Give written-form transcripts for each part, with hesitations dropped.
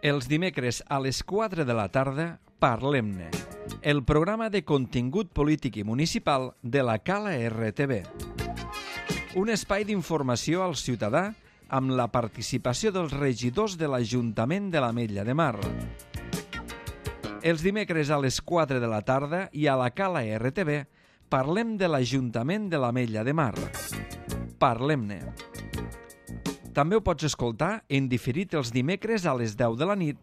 Els dimecres a les 4 de la tarda, Parlem-ne, el programa de contingut polític i municipal de la Cala RTV. Un espai d'informació al ciutadà amb la participació dels regidors de l'Ajuntament de l'Ametlla de Mar. Els dimecres a les 4 de la tarda i a la Cala RTV parlem de l'Ajuntament de l'Ametlla de Mar. Parlem-ne. També ho pots escoltar en diferit els dimecres a les 10 de la nit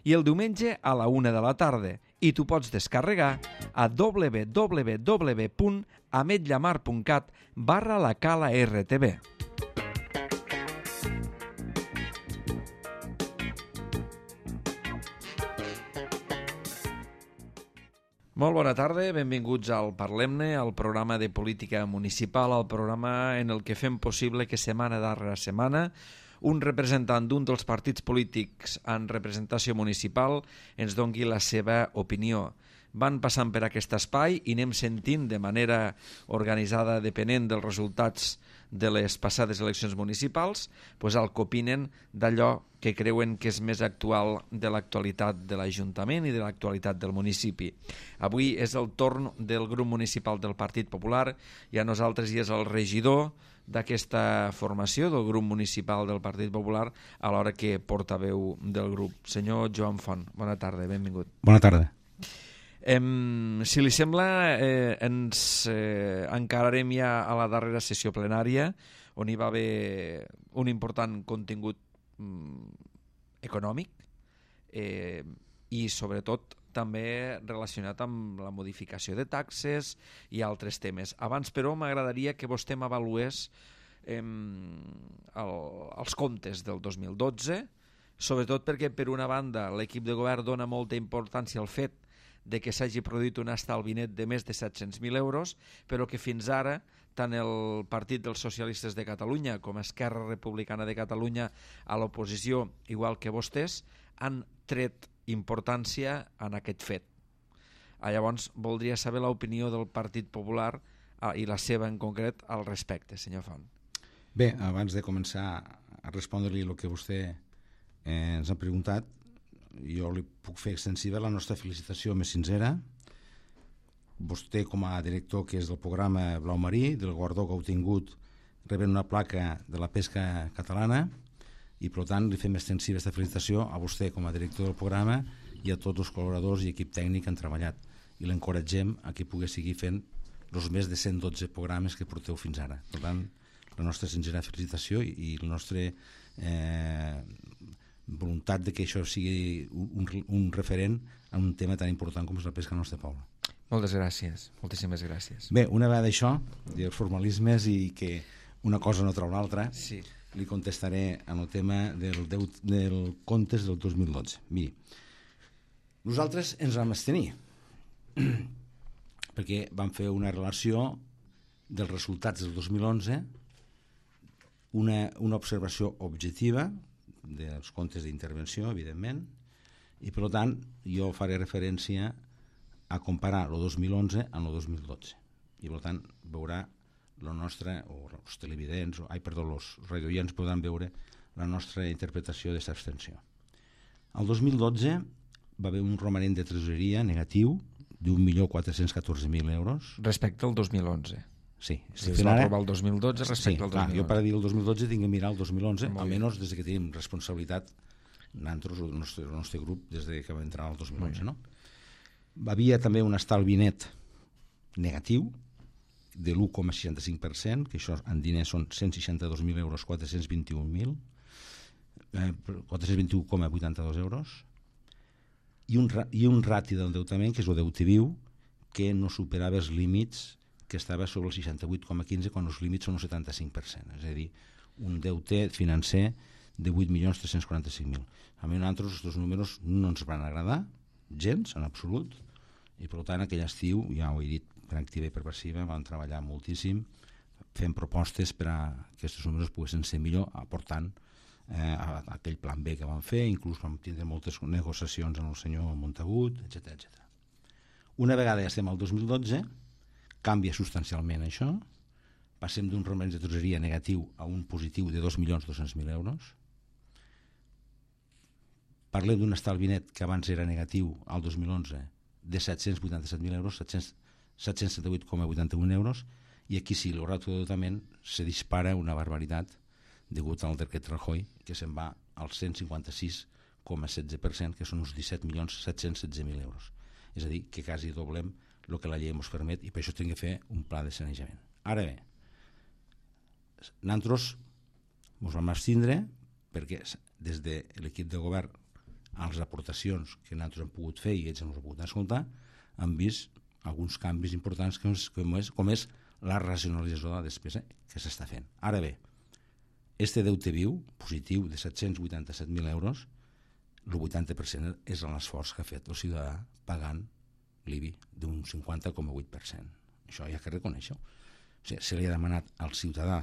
i el diumenge a la 1 de la tarda i t'ho pots descarregar a www.ametllamar.cat/la Cala RTV. Molt bona tarda, benvinguts al Parlem-ne, al programa de política municipal, al programa en el que fem possible que setmana darrere setmana un representant d'un dels partits polítics en representació municipal ens doni la seva opinió. Van passant per aquest espai i anem sentint de manera organitzada, depenent dels resultats de les passades eleccions municipals, el que opinen d'allò que creuen que és més actual de l'actualitat de l'Ajuntament i de l'actualitat del municipi. Avui és el torn del grup municipal del Partit Popular i a nosaltres hi és el regidor d'aquesta formació del grup municipal del Partit Popular alhora que portaveu del grup. Senyor Joan Font, bona tarda, benvingut. Bona tarda. Si li sembla, ens encararem ja a la darrera sessió plenària on hi va haver un important contingut econòmic i sobretot també relacionat amb la modificació de taxes i altres temes. Abans, però, m'agradaria que vostè m'avalués els comptes del 2012, sobretot perquè, per una banda, l'equip de govern dona molta importància al fet de que s'hagi produït un estalvi net de més de 700.000 euros, però que fins ara tant el Partit dels Socialistes de Catalunya com Esquerra Republicana de Catalunya a l'oposició, igual que vostès, han tret importància en aquest fet. Llavors, voldria saber l'opinió del Partit Popular i la seva en concret al respecte, senyor Font. Bé, abans de començar a respondre-li el que vostè ens ha preguntat, jo li puc fer extensiva la nostra felicitació més sincera. Vostè, com a director que és del programa Blau Marí, del guardó que heu tingut, rebent una placa de la pesca catalana i, per tant, li fem extensiva aquesta felicitació a vostè com a director del programa i a tots els col·laboradors i equip tècnic que han treballat. I l'encoratgem a que pugui seguir fent els més de 112 programes que porteu fins ara. Per tant, la nostra sincera felicitació i la nostra voluntat de que això sigui un referent en un tema tan important com és la pesca al nostre poble. Moltes gràcies, moltíssimes gràcies. Bé, una vegada això, els formalismes i que una cosa no treu l'altra, sí. Li contestaré en el tema del comptes del 2012. Miri, nosaltres ens vam abstenir perquè vam fer una relació dels resultats del 2011, una observació objectiva dels comptes d'intervenció, evidentment, i per tant jo faré referència a comparar el 2011 amb el 2012 i per tant veurà la nostra, o els televidents, els radioients podran veure la nostra interpretació d'aquesta abstenció. El 2012 va haver un romanent de tresoreria negatiu d'1.414.000 euros. Respecte al 2011. Sí. Si es va aprovar el 2012 respecte al 2011. Jo per dir el 2012 tinc que mirar el 2011, almenys des que tenim responsabilitat nosaltres, el nostre grup, des que vam entrar al 2011. No? Havia també un estalvi net negatiu de l'1,65%, que això en diners són 162.000 euros, 421,82 euros, i un rati d'endeutament, que és el deute viu, que no superava els límits, que estava sobre el 68,15 quan els límits són el 75%, és a dir, un deute financer de 8.345.000. A mi nosaltres els dos números no ens van agradar gens, en absolut, i per tant aquell estiu, ja ho he dit per activa i per passiva, vam treballar moltíssim fent propostes per a que aquests números poguessin ser millor, aportant aquell plan B que vam fer, inclús vam tindre moltes negociacions amb el senyor Montagut, etc. Una vegada ja estem al 2012, canvia substancialment això, passem d'un romanent de tresoreria negatiu a un positiu de 2.200.000 euros, parlem d'un estalvi net que abans era negatiu al 2011 de 787.000 euros, 778,81 euros, i aquí sí, el ràtio d'endeutament se dispara una barbaritat degut al decret Rajoy, que se'n va al 156,16%, que són uns 17.716.000 euros. És a dir, que quasi doblem el que la llei ens permet, i per això hem de fer un pla de sanejament. Ara bé, nosaltres ens vam abstindre perquè des de l'equip de govern a les aportacions que nosaltres hem pogut fer i ells ens han pogut escoltar, hem vist alguns canvis importants com és la racionalització de la despesa que s'està fent. Ara bé, este deute viu, positiu, de 787.000 euros, el 80% és l'esforç que ha fet el ciutadà pagant l'IBI d'un 50,8%. Això hi ha que reconèixer-ho. O sigui, se li ha demanat al ciutadà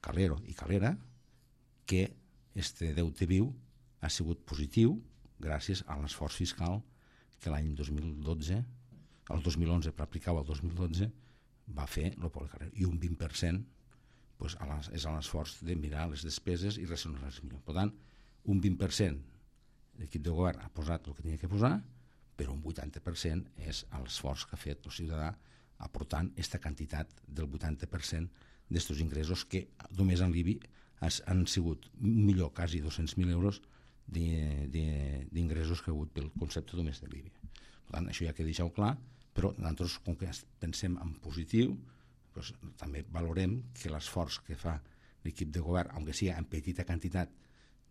calero i calera que este deute viu ha sigut positiu gràcies a l'esforç fiscal que l'any 2012, el 2011 per aplicar el 2012, va fer el poble carrer. I un 20% pues, és l'esforç de mirar les despeses i racionalitzar millor. Per tant, un 20% l'equip de govern ha posat el que tenia que posar, però un 80% és l'esforç que ha fet el ciutadà aportant aquesta quantitat del 80% d'estos ingressos que només en l'IBI han sigut millor, quasi 200.000 euros d'ingressos que ha hagut pel concepte només de l'IBI. Per tant, això ja que deixeu clar, però nosaltres, com que pensem en positiu, doncs, també valorem que l'esforç que fa l'equip de govern, aunque sigui en petita quantitat,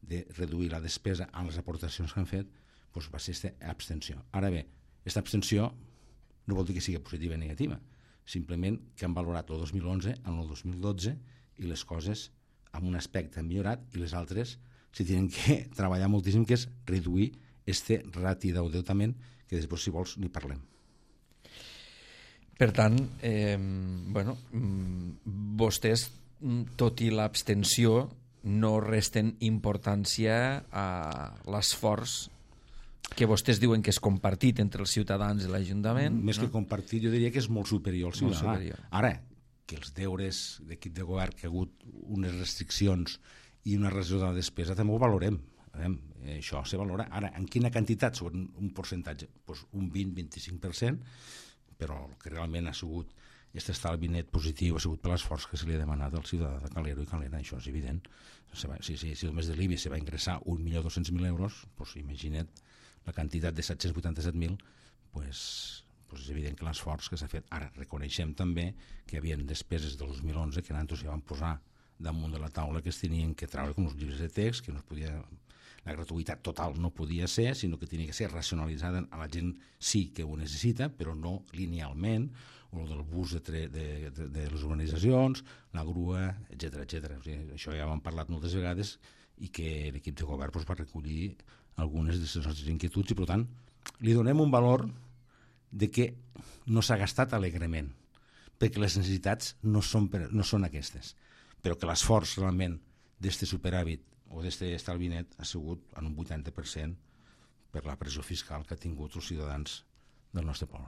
de reduir la despesa amb les aportacions que han fet, doncs va ser aquesta abstenció. Ara bé, aquesta abstenció no vol dir que sigui positiva o negativa, simplement que han valorat el 2011 en el 2012 i les coses amb un aspecte han millorat i les altres s'hi tenen que treballar moltíssim, que és reduir este rati d'endeutament, que després, si vols, n'hi parlem. Per tant, vostès, tot i l'abstenció, no resten importància a l'esforç que vostès diuen que és compartit entre els ciutadans i l'Ajuntament. Més que compartit, jo diria que és molt superior al ciutadà. Ara, que els deures d'equip de govern, que ha hagut unes restriccions i una reducció de la despesa, també ho valorem. Això se valora. Ara, en quina quantitat? Sobre un percentatge? Pues un 20-25%, però el que realment ha sigut aquest estalvi net positiu ha sigut per l'esforç que se li ha demanat al ciutadà de Calero i Calera, això és evident. Si només de l'IBI se va ingressar 1.200.000 euros, doncs imagina't la quantitat de 787.000, doncs és evident que l'esforç que s'ha fet. Ara, reconeixem també que hi havia despeses del 2011 que nosaltres ja vam posar damunt de la taula que es tenien que treure com els llibres de text, que no es podia... La gratuïtat total no podia ser, sinó que tenia que ser racionalitzada a la gent sí que ho necessita, però no linealment, o del bus de les urbanitzacions, la grua, etc. O sigui, això ja ho hem parlat moltes vegades i que l'equip de govern va recollir algunes de les nostres inquietuds i, per tant, li donem un valor de que no s'ha gastat alegrement, perquè les necessitats no són aquestes, però que l'esforç realment d'este superàvit o d'este estalvi net ha sigut en un 80% per la pressió fiscal que ha tingut els ciutadans del nostre poble.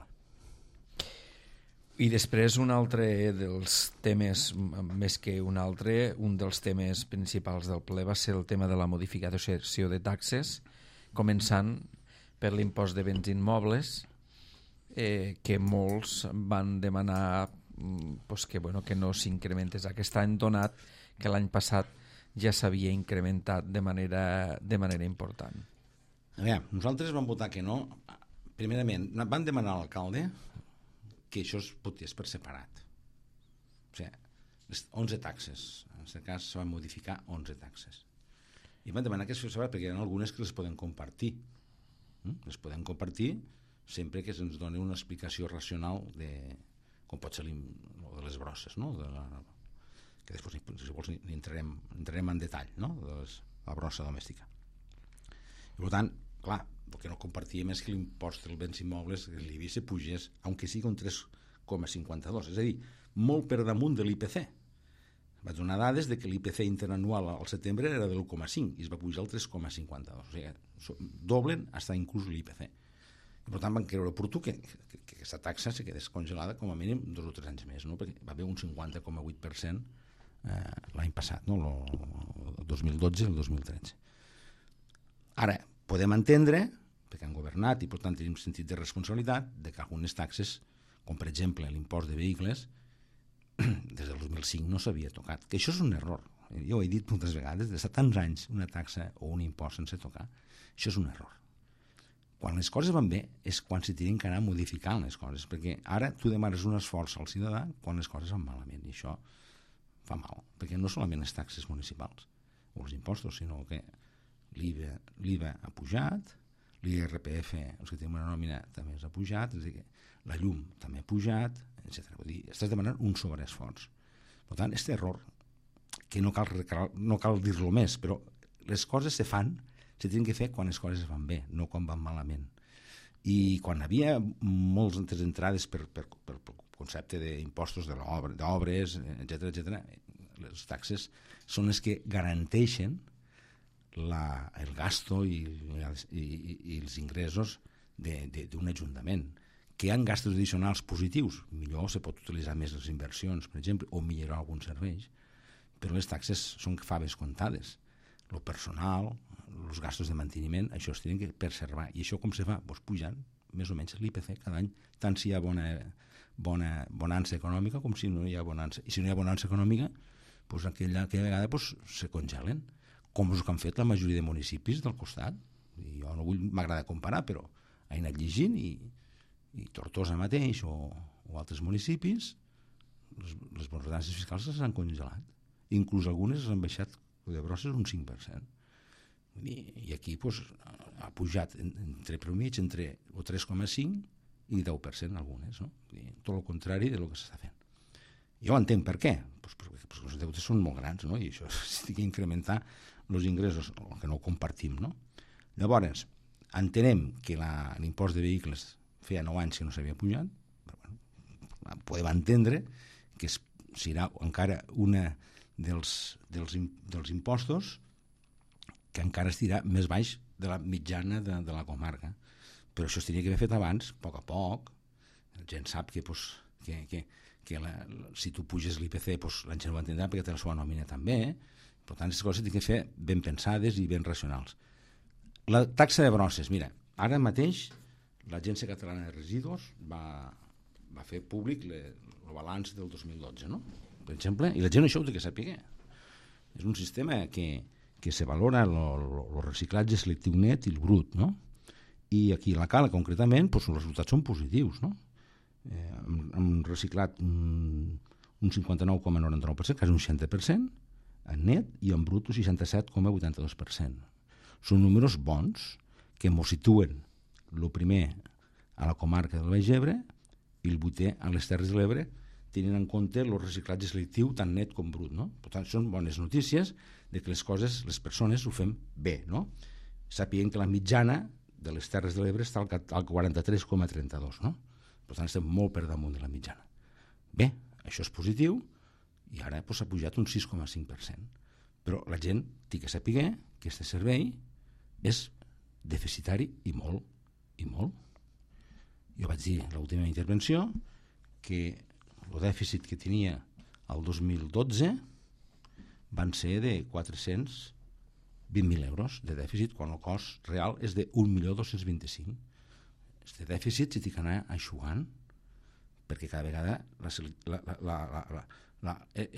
I després un altre dels temes, més que un altre, un dels temes principals del ple va ser el tema de la modificació de taxes, començant per l'impost de béns immobles, que molts van demanar que no s'incrementés aquest any, donat que l'any passat ja s'havia incrementat de manera important. A veure, nosaltres vam votar que no. Primerament, van demanar a l'alcalde que això es votés per separat. O sigui, les 11 taxes. En aquest cas se van modificar 11 taxes. I van demanar que es fes separat perquè hi ha algunes que les poden compartir. Les podem compartir sempre que se'ns doni una explicació racional de com pot ser de les brosses, no? Que després, si vols, entrarem en detall, no? De la brossa domèstica. I per tant, clar, el que no compartíem és que l'impost dels béns immobles, l'IBI, se pugés, aunque sigui un 3,52, és a dir, molt per damunt de l'IPC. Vaig donar dades de que l'IPC interanual al setembre era de l'1,5 i es va pujar al 3,52. O sigui, doblen fins inclús l'IPC. I per tant van creure oportú que aquesta taxa se quedés congelada com a mínim 2 o 3 anys més, no? Perquè va haver un 50,8% l'any passat, no? El 2012 i el 2013. Ara, podem entendre, perquè han governat i per tant tenim sentit de responsabilitat, de que algunes taxes, com per exemple l'impost de vehicles, des del 2005 no s'havia tocat, que això és un error. Jo ho he dit moltes vegades, d'estar tants anys una taxa o un impost sense tocar, això és un error. Quan les coses van bé és quan s'hi tenen que anar modificant les coses, perquè ara tu demanes un esforç al ciutadà quan les coses van malament, i això fa mal, perquè no solament les taxes municipals o els impostos, sinó que l'IVA ha pujat, l'IRPF, els que tenen una nòmina, també ha pujat, és a dir, la llum també ha pujat, etc. Vull dir, estàs demanant un sobreesforç. Per tant, aquest error, que no cal dir-lo més, però les coses se fan, se tenen que fer quan les coses van bé, no quan van malament. I quan hi havia moltes entrades per concepte d'impostos d'obres, etc., les taxes són les que garanteixen el gasto i els ingressos d'un ajuntament. Que hi ha gastos addicionals positius, millor se pot utilitzar més les inversions, per exemple, o millorar alguns serveis, però les taxes són faves comptades. El personal, els gastos de manteniment, això es tenen que preservar. I això com se fa? Doncs pujant més o menys l'IPC cada any, tant si hi ha bonança econòmica com si no hi ha bonança. I si no hi ha bonança econòmica, doncs aquella vegada se congelen, com és el que han fet la majoria de municipis del costat. I jo no m'agrada comparar, però he anat llegint i Tortosa mateix o altres municipis, les bonances fiscals s'han congelat. Inclús algunes han baixat de Brosses un 5%. I aquí ha pujat entre promig entre el 3,5 i 10% algunes. No? Tot el contrari del que s'està fent. Jo entenc per què. Perquè els deutes són molt grans, no? I això s'ha d'incrementar els ingressos, el que no compartim. No? Llavors, entenem que l'impost de vehicles feia 9 anys que no s'havia pujat, però podem entendre que serà encara una dels impostos que encara estirà més baix de la mitjana de la comarca. Però això es tenia que haver fet abans, a poc. La gent sap que si tu puges l'IPC la gent ho entendrà perquè té la seva nòmina també. Per tant, aquestes coses s'han de fer ben pensades i ben racionals. La taxa de Brosses, mira, ara mateix l'Agència Catalana de Residus va fer públic el balanç del 2012, no? Per exemple, i la gent això ho té que saber. És un sistema que se valora el reciclatge selectiu net i el brut, no? I aquí a la Cala, concretament, els resultats són positius, no? Hem reciclat un 59,99%, quasi un 60%, en net, i en brut un 67,82%. Són números bons que ens situen el primer a la comarca del Baix Ebre i el 8è a les Terres de l'Ebre, tenint en compte el reciclatge selectiu tant net com brut. No? Per tant, són bones notícies de que les coses, les persones ho fem bé. No? Sapien que la mitjana de les Terres de l'Ebre està al 43,32. No? Per tant, estem molt per damunt de la mitjana. Bé, això és positiu i ara s'ha pujat un 6,5%. Però la gent té que saber que aquest servei és deficitari i molt. Jo vaig dir a l'última intervenció que el dèficit que tenia el 2012 van ser de 420.000 euros de dèficit, quan el cost real és de 1.225.000. Aquest dèficit s'hi té que anar eixugant perquè cada vegada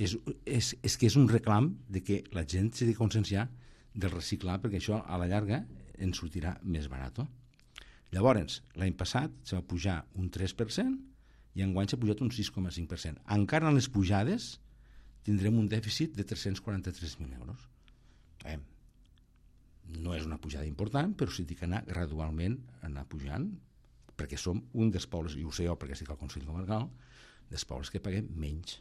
és que és un reclam de que la gent s'ha de conscienciar del reciclar, perquè això a la llarga ens sortirà més barat. Llavors, l'any passat se va pujar un 3% i enguany s'ha pujat un 6,5%. Encara en les pujades tindrem un dèficit de 343.000 euros. No és una pujada important, però s'hi ha d'anar gradualment anar pujant, perquè som un dels pobles, i ho sé jo perquè estic al Consell Comarcal, dels pobles que paguem menys.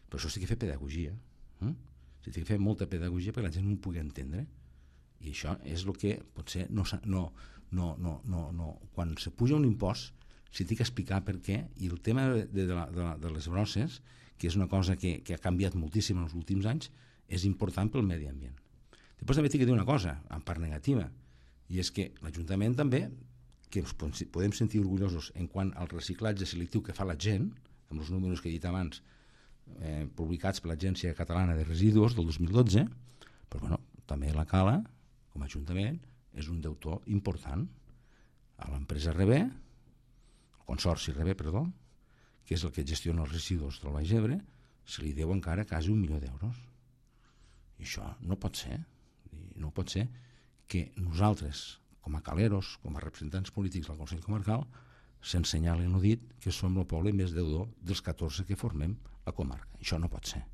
Per això s'ha de fer pedagogia. S'ha de fer molta pedagogia perquè la gent no ho pugui entendre. I això és el que potser quan se puja un impost s'ha de explicar per què, i el tema de les brosses, que és una cosa que ha canviat moltíssim en els últims anys, és important pel medi ambient. Després també he de dir una cosa, en part negativa, i és que l'Ajuntament també, que ens podem sentir orgullosos en quant al reciclatge selectiu que fa la gent, amb els números que he dit abans, publicats per l'Agència Catalana de Residus del 2012, però també la Cala, com a Ajuntament, és un deutor important a l'empresa Rebé, el consorci Rebé, perdó, que és el que gestiona els residus del Baix Ebre, se li deu encara quasi 1 milió d'euros. I això no pot ser. No pot ser que nosaltres, com a caleros, com a representants polítics del Consell Comarcal, se'ns senyali en el dit que som el poble més deudor dels 14 que formem la comarca. Això no pot ser.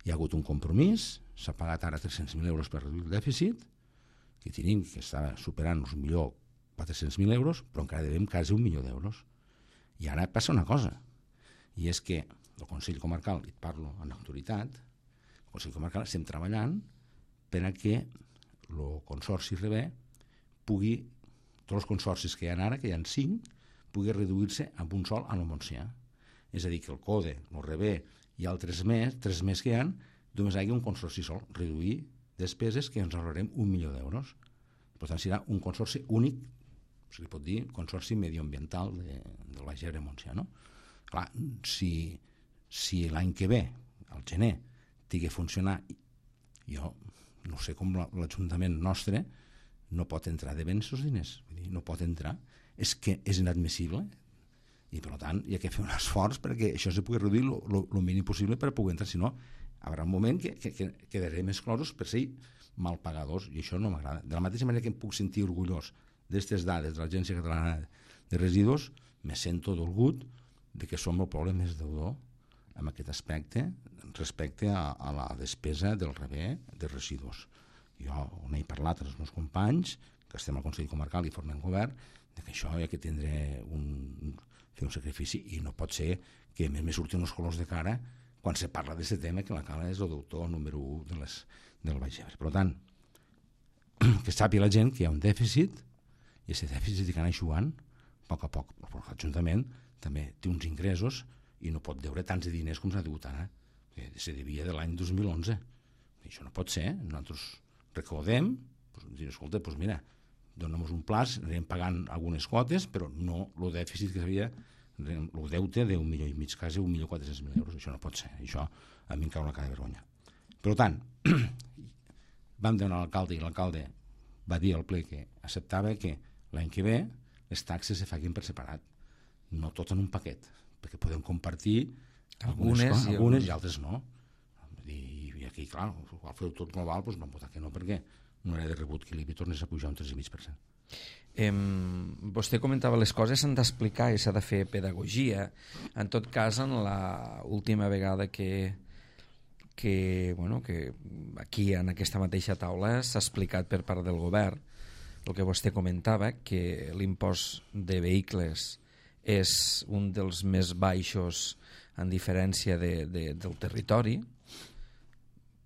Hi ha hagut un compromís, s'ha pagat ara 300.000 euros per reduir el dèficit, que tenim, que està superant els 1.400.000 euros, però encara devem quasi 1 milió d'euros. I ara passa una cosa, i és que el Consell Comarcal, i et parlo en autoritat, el Consell Comarcal estem treballant per a que el consorci Rebé pugui, tots els consorcis que hi ha ara, que hi ha 5, pugui reduir-se amb un sol a la Montsià. És a dir, que el CODE, el Rebé i altres més, 3 més que hi ha, només hi ha un consorci sol, reduir despeses que ens ahorrarem 1 milió d'euros. Per tant, serà un consorci únic, se li pot dir consorci medioambiental del Baix Ebre Montsià, no? Clar, si l'any que ve, al gener, tingui a funcionar, jo no sé com l'Ajuntament nostre no pot entrar de béns els diners, vull dir, no pot entrar, és que és inadmissible, i per tant hi ha que fer un esforç perquè això se pugui reduir el mínim possible per poder entrar, si no hi haurà un moment que quedarem exclosos per ser mal pagadors, i això no m'agrada. De la mateixa manera que em puc sentir orgullós d'aquestes dades de l'Agència Catalana de Residus, me sento dolgut de que som el poble més deudor en aquest aspecte respecte a la despesa del Rebé de residus. Jo n'he parlat amb els meus companys, que estem al Consell Comarcal i formem govern, que això hi ha que fer un sacrifici, i no pot ser que a més me surtin els colors de cara quan se parla d'aquest tema, que la Cala és el deutor número 1 del Baix Ebre. Per tant, que sàpiga la gent que hi ha un dèficit, i aquest dèficit s'hi anar eixugant a poc a poc. L'Ajuntament també té uns ingressos i no pot deure tants de diners com s'ha degut ara, que se devia de l'any 2011. I això no pot ser. Nosaltres recaudem, dir, escolta, doncs mira, donem un plaç, anem pagant algunes quotes, però no el dèficit que s'havia, el deute d'1,5 milió, quasi 1.400.000 euros. Això no pot ser. Això a mi em cau la cara de vergonya. Per tant, vam demanar a l'alcalde, i l'alcalde va dir al ple que acceptava que l'any que ve les taxes se facin per separat, no tot en un paquet, perquè podem compartir algunes i altres no. I aquí, clar, al fer tot global, doncs vam votar que no, perquè no era de rebut que l'IBI tornés a pujar un 3,5%. Vostè comentava les coses s'han d'explicar i s'ha de fer pedagogia. En tot cas, en l'última vegada que aquí en aquesta mateixa taula s'ha explicat per part del govern el que vostè comentava, que l'impost de vehicles és un dels més baixos en diferència del territori,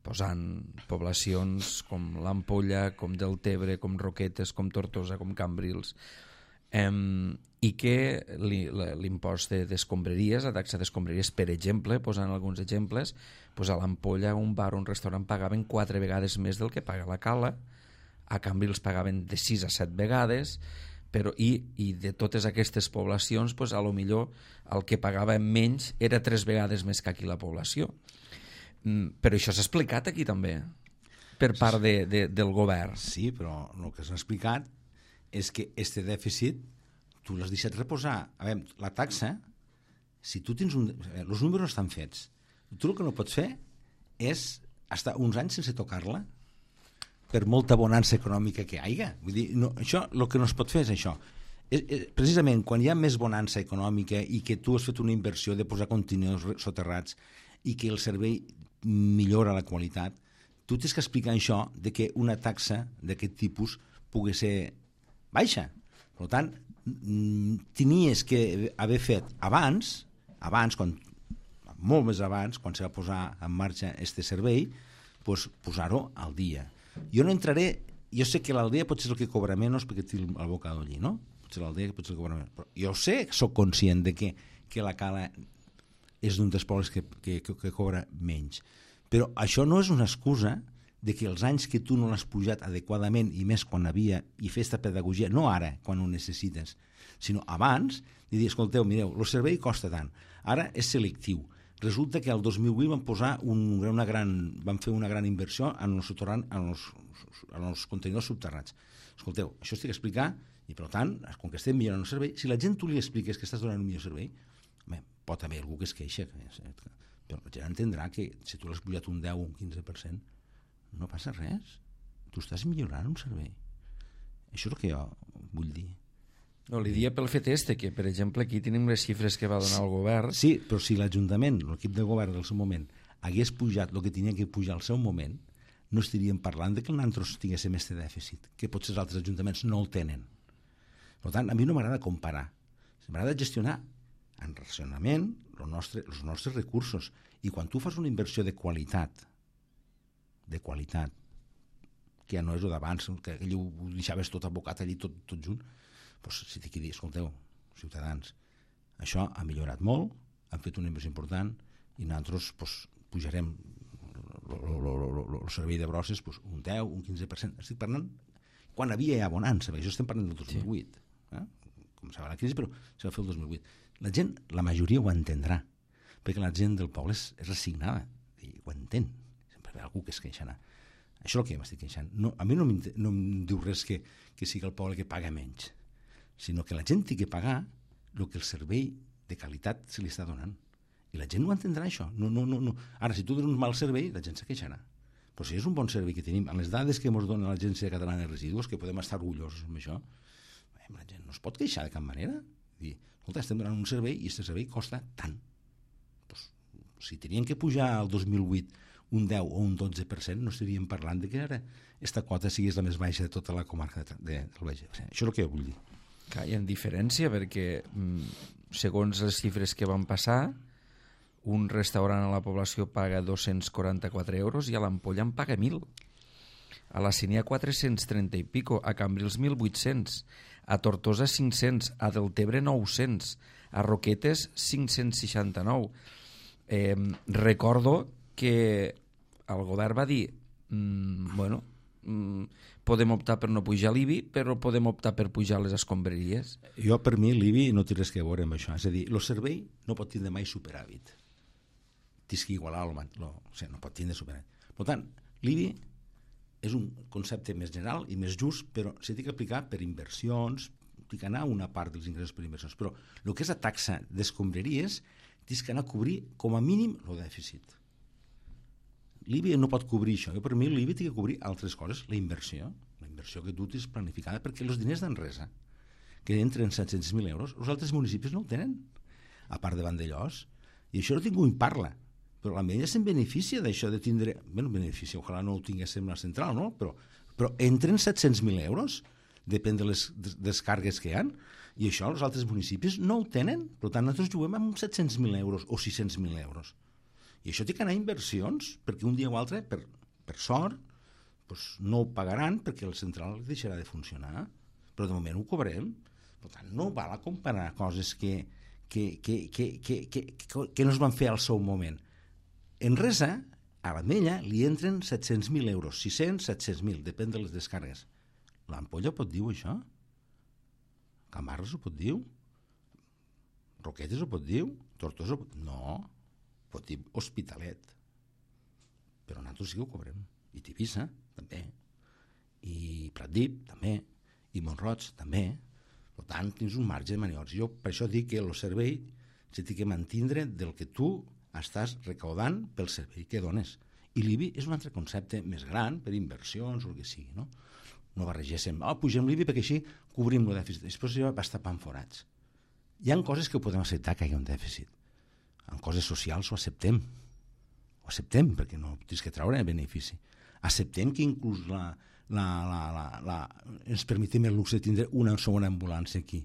posant poblacions com l'Ampolla, com Deltebre, com Roquetes, com Tortosa, com Cambrils, i que l'impost d'escombraries, la taxa d'escombraries, per exemple, posant alguns exemples, a l'Ampolla un bar o un restaurant pagaven 4 vegades més del que paga la Cala, a Cambrils pagaven de 6 a 7 vegades, però i de totes aquestes poblacions, a lo millor el que pagava menys era 3 vegades més que aquí la població. Però això s'ha explicat aquí també per part del govern. Sí, però el que s'ha explicat és que este dèficit tu l'has deixat reposar. A veure, la taxa, si tu tens els números estan fets, tu el que no pots fer és estar uns anys sense tocar-la per molta bonança econòmica que hi hagi. Vull dir, no, això, el que no es pot fer és això. Precisament quan hi ha més bonança econòmica i que tu has fet una inversió de posar contenidors soterrats i que el servei millora la qualitat, tu tens que explicar això de que una taxa d'aquest tipus pugui ser baixa. Per tant, tenies que haver fet abans, molt més abans, quan se va posar en marxa este servei, posar-ho al dia. Jo no entraré, jo sé que l'aldea pot ser el que cobra menys perquè té el bocado allí, no? Potser l'aldea pot ser el que cobra menys. Però jo sé, soc conscient de que la Cala és d'un dels pobles que cobra menys. Però això no és una excusa de que els anys que tu no l'has pujat adequadament, i més quan havia, i fer aquesta pedagogia, no ara, quan ho necessites, sinó abans, de dir, escolteu, mireu, el servei costa tant, ara és selectiu, Resulta que el 2008 van fer una gran inversió en els contenidors subterrats. Escolteu, això estic explicant, i per tant, com que estem millorant el servei, si la gent tu li expliques que estàs donant un millor servei, pot haver algú que es queixa, però la gent entendrà que si tu l'has pujat un 10 o un 15%, no passa res. Tu estàs millorant un servei. Això és el que jo vull dir. No, li dia pel fet que, per exemple, aquí tenim les xifres que va donar el govern. Sí, però si l'Ajuntament, l'equip de govern del seu moment, hagués pujat el que tenia que pujar al seu moment, no estaríem parlant de que nosaltres tinguéssim aquest dèficit, que potser els altres ajuntaments no el tenen. Per tant, a mi no m'agrada comparar. M'agrada gestionar en racionament els nostres recursos. I quan tu fas una inversió de qualitat, que ja no és el d'abans, que allò ho deixaves tot abocat allí, tot junt, doncs si t'hi dir, escolteu, ciutadans, això ha millorat molt, han fet una inversió important i nosaltres pujarem el servei de brosses un 10, un 15%. Estic parlant quan havia ja bonança, perquè això estem parlant del 2008. Començava la crisi, però se va fer el 2008. La gent, la majoria ho entendrà, perquè la gent del poble és resignada i ho entén. Sempre hi ha algú que es queixarà. Això és el que m'estic queixant. No, a mi no em diu res que sigui el poble que paga menys, sinó que la gent té que pagar el que el servei de qualitat se li està donant. I la gent ho entendrà, això. No. Ara, si tu dones un mal servei, la gent se queixarà. Però si és un bon servei que tenim, amb les dades que ens dona l'Agència Catalana de Residus, que podem estar orgullosos amb això, la gent no es pot queixar de cap manera. Dir, escolta, estem donant un servei i aquest servei costa tant. Doncs, si tenien que pujar al 2008 un 10 o un 12%, no estaríem parlant de que ara aquesta quota sigués la més baixa de tota la comarca del Baix Ebre. Això és el que vull dir. Clar, hi ha diferència perquè, segons les xifres que van passar, un restaurant a la població paga 244 euros i a l'Ampolla en paga 1.000. A la Cinia 430 i pico, a Cambrils 1.800, a Tortosa 500, a Deltebre 900, a Roquetes 569. Recordo que el govern va dir podem optar per no pujar l'IBI, però podem optar per pujar les escombraries. Jo, per mi, l'IBI no té res a veure amb això. És a dir, el servei no pot tindre mai superàvit. Tens que igualar no pot tindre superàvit. Per tant, l'IBI és un concepte més general i més just, però s'ha d'aplicar per inversions, té que anar una part dels ingressos per inversions, però el que és la taxa d'escombraries tens que anar a cobrir com a mínim el dèficit. L'IBI no pot cobrir això. Per mi l'IBI té que cobrir altres coses. La inversió que tu tens planificada, perquè els diners d'Enresa, que entren 700.000 euros, els altres municipis no ho tenen, a part de Vandellós. I això ningú en parla. Però la Mella se'n beneficia d'això de tindre... beneficia, ojalà no ho tinguéssim la central, no? Però entren 700.000 euros, depèn de les descargues que hi ha, i això els altres municipis no ho tenen. Per tant, nosaltres juguem amb 700.000 euros o 600.000 euros. I això té que anar a inversions, perquè un dia o altre, per sort, no ho pagaran perquè el central deixarà de funcionar. Però de moment ho cobrem. Per tant, no val a comparar coses que no es van fer al seu moment. Enresa, a l'Ametlla, li entren 700.000 euros, 600, 700.000, depèn de les descargues. L'Ampolla pot dir això? Camarles ho pot dir? Roquetes ho pot dir? Tortosa ho pot dir? No. Pot dir Hospitalet, però nosaltres sí que ho cobrem, i Tivissa també, i Pratdip també, i Montroig també. Per tant, tens un marge de maniobres. Jo per això dic que el servei s'ha de mantindre del que tu estàs recaudant pel servei que dones, i l'IBI és un altre concepte més gran per inversions o el que sigui, no barregéssim, pugem l'IBI perquè així cobrim el dèficit, després ja va tapant forats. Hi ha coses que ho podem acceptar que hi ha un dèficit. En coses socials ho acceptem, perquè no tens que treure benefici. Acceptem que inclús ens permetem el luxe de tindre una segona ambulància aquí.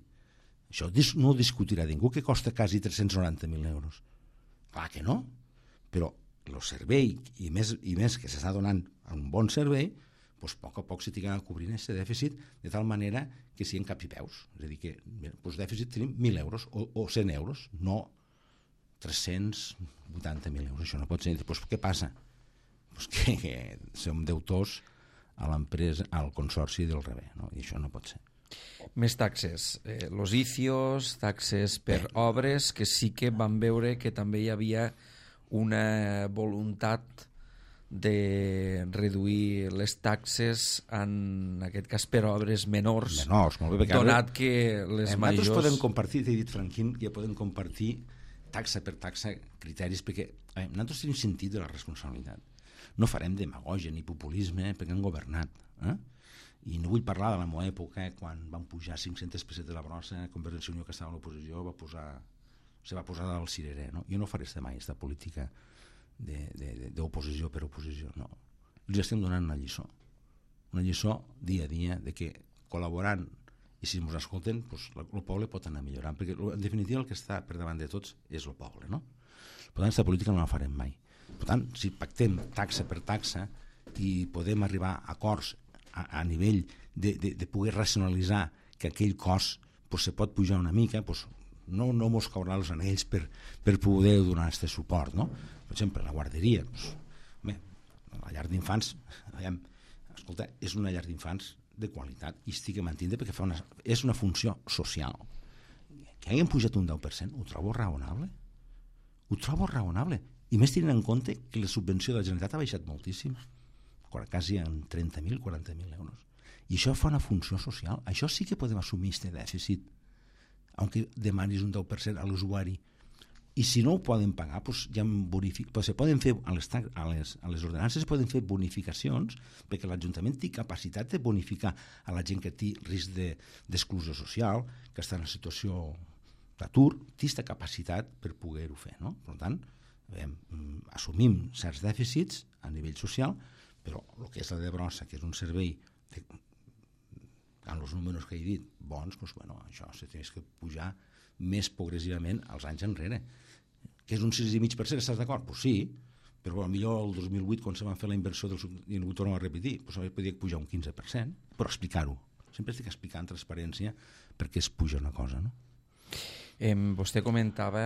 Això no ho discutirà ningú, que costa quasi 390.000 euros. Clar que no, però el servei, i més que s'està donant un bon servei, a poc a poc s'ha d'anar cobrint aquest dèficit de tal manera que siguin cap i peus. És a dir, que dèficit tenim 1.000 euros o 100 euros, no 380.000 euros. Això no pot ser. Què passa? Que som deutors a l'empresa, al consorci del Rebé, no? I això no pot ser. Més taxes, los ICIOs, taxes per obres, que sí que van veure que també hi havia una voluntat de reduir les taxes, en aquest cas per obres menors, molt bé, donat que les majors... Nosaltres podem compartir, t'he dit, Franquín, que podem compartir taxa per taxa criteris, perquè nosaltres tenim sentit de la responsabilitat. No farem demagògia ni populisme perquè han governat. I no vull parlar de la meva època, quan van pujar 500 pessetes de la brossa, Convergència i Unió, que estava a l'oposició, se va posar al cirerer. No? Jo no faré mai aquesta política d'oposició per oposició. No. Els estem donant una lliçó dia a dia de que col·laborant, i si ens escolten, el poble pot anar millorant, perquè en definitiva el que està per davant de tots és el poble. No? Per tant, aquesta política no la farem mai. Per tant, si pactem taxa per taxa i podem arribar a acords a nivell de poder racionalitzar que aquell cost se pot pujar una mica, no mos caurà els anells per poder donar aquest suport, no? Per exemple, la guarderia, la llar d'infants, escolta, és una llar d'infants de qualitat i estic mantint perquè és una funció social. Que hagin pujat un 10%, ho trobo raonable. Ho trobo raonable. I més tenint en compte que la subvenció de la Generalitat ha baixat moltíssim, quasi en 30.000, 40.000 euros. I això fa una funció social. Això sí que podem assumir aquest dèficit, aunque demanis un 10% a l'usuari. I si no ho poden pagar, se poden fer a les ordenances, se poden fer bonificacions, perquè l'Ajuntament té capacitat de bonificar a la gent que té risc d'exclusió social, que està en situació d'atur, té aquesta capacitat per poder-ho fer. No? Per tant, assumim certs dèficits a nivell social, però el que és la de brossa, que és un servei amb els números que he dit bons, això se té que pujar més progressivament als anys enrere. Que és un 6,5%, estàs d'acord? Doncs sí, però potser el 2008, quan se van fer la inversió i ho tornem a repetir, podria pujar un 15%, però explicar-ho. Sempre estic explicant transparència perquè es puja una cosa, no? Vostè comentava,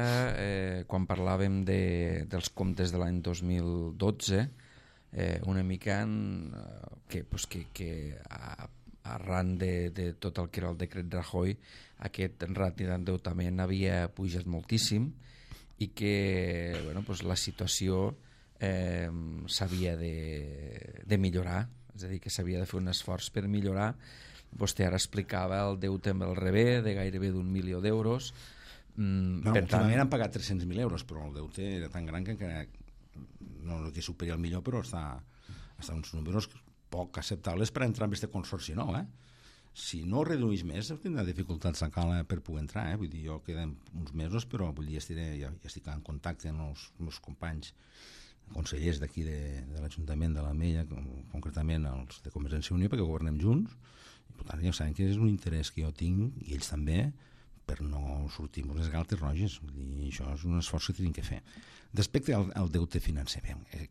quan parlàvem dels comptes de l'any 2012, una mica que arran de tot el que era el decret Rajoy, aquest ràtio d'endeutament havia pujat moltíssim i que la situació s'havia de millorar, és a dir, que s'havia de fer un esforç per millorar. Vostè ara explicava el deute amb el rebé de gairebé d'1 milió d'euros. Últimament han pagat 300.000 euros, però el deute era tan gran que encara no que superi el millor, però està uns números poc acceptables per entrar en aquest consorci nou. Si no redueix més, tindrà dificultats encara per poder entrar. Vull dir, jo queden uns mesos, però ja estic en contacte amb els meus companys consellers d'aquí de l'Ajuntament de l'Ametlla, concretament els de Convergència i Unió, perquè governem junts, i per tant ja saben que és un interès que jo tinc, i ells també, per no sortir amb les galtes roges. Vull dir, això és un esforç que tenim que fer. Respecte al deute financer,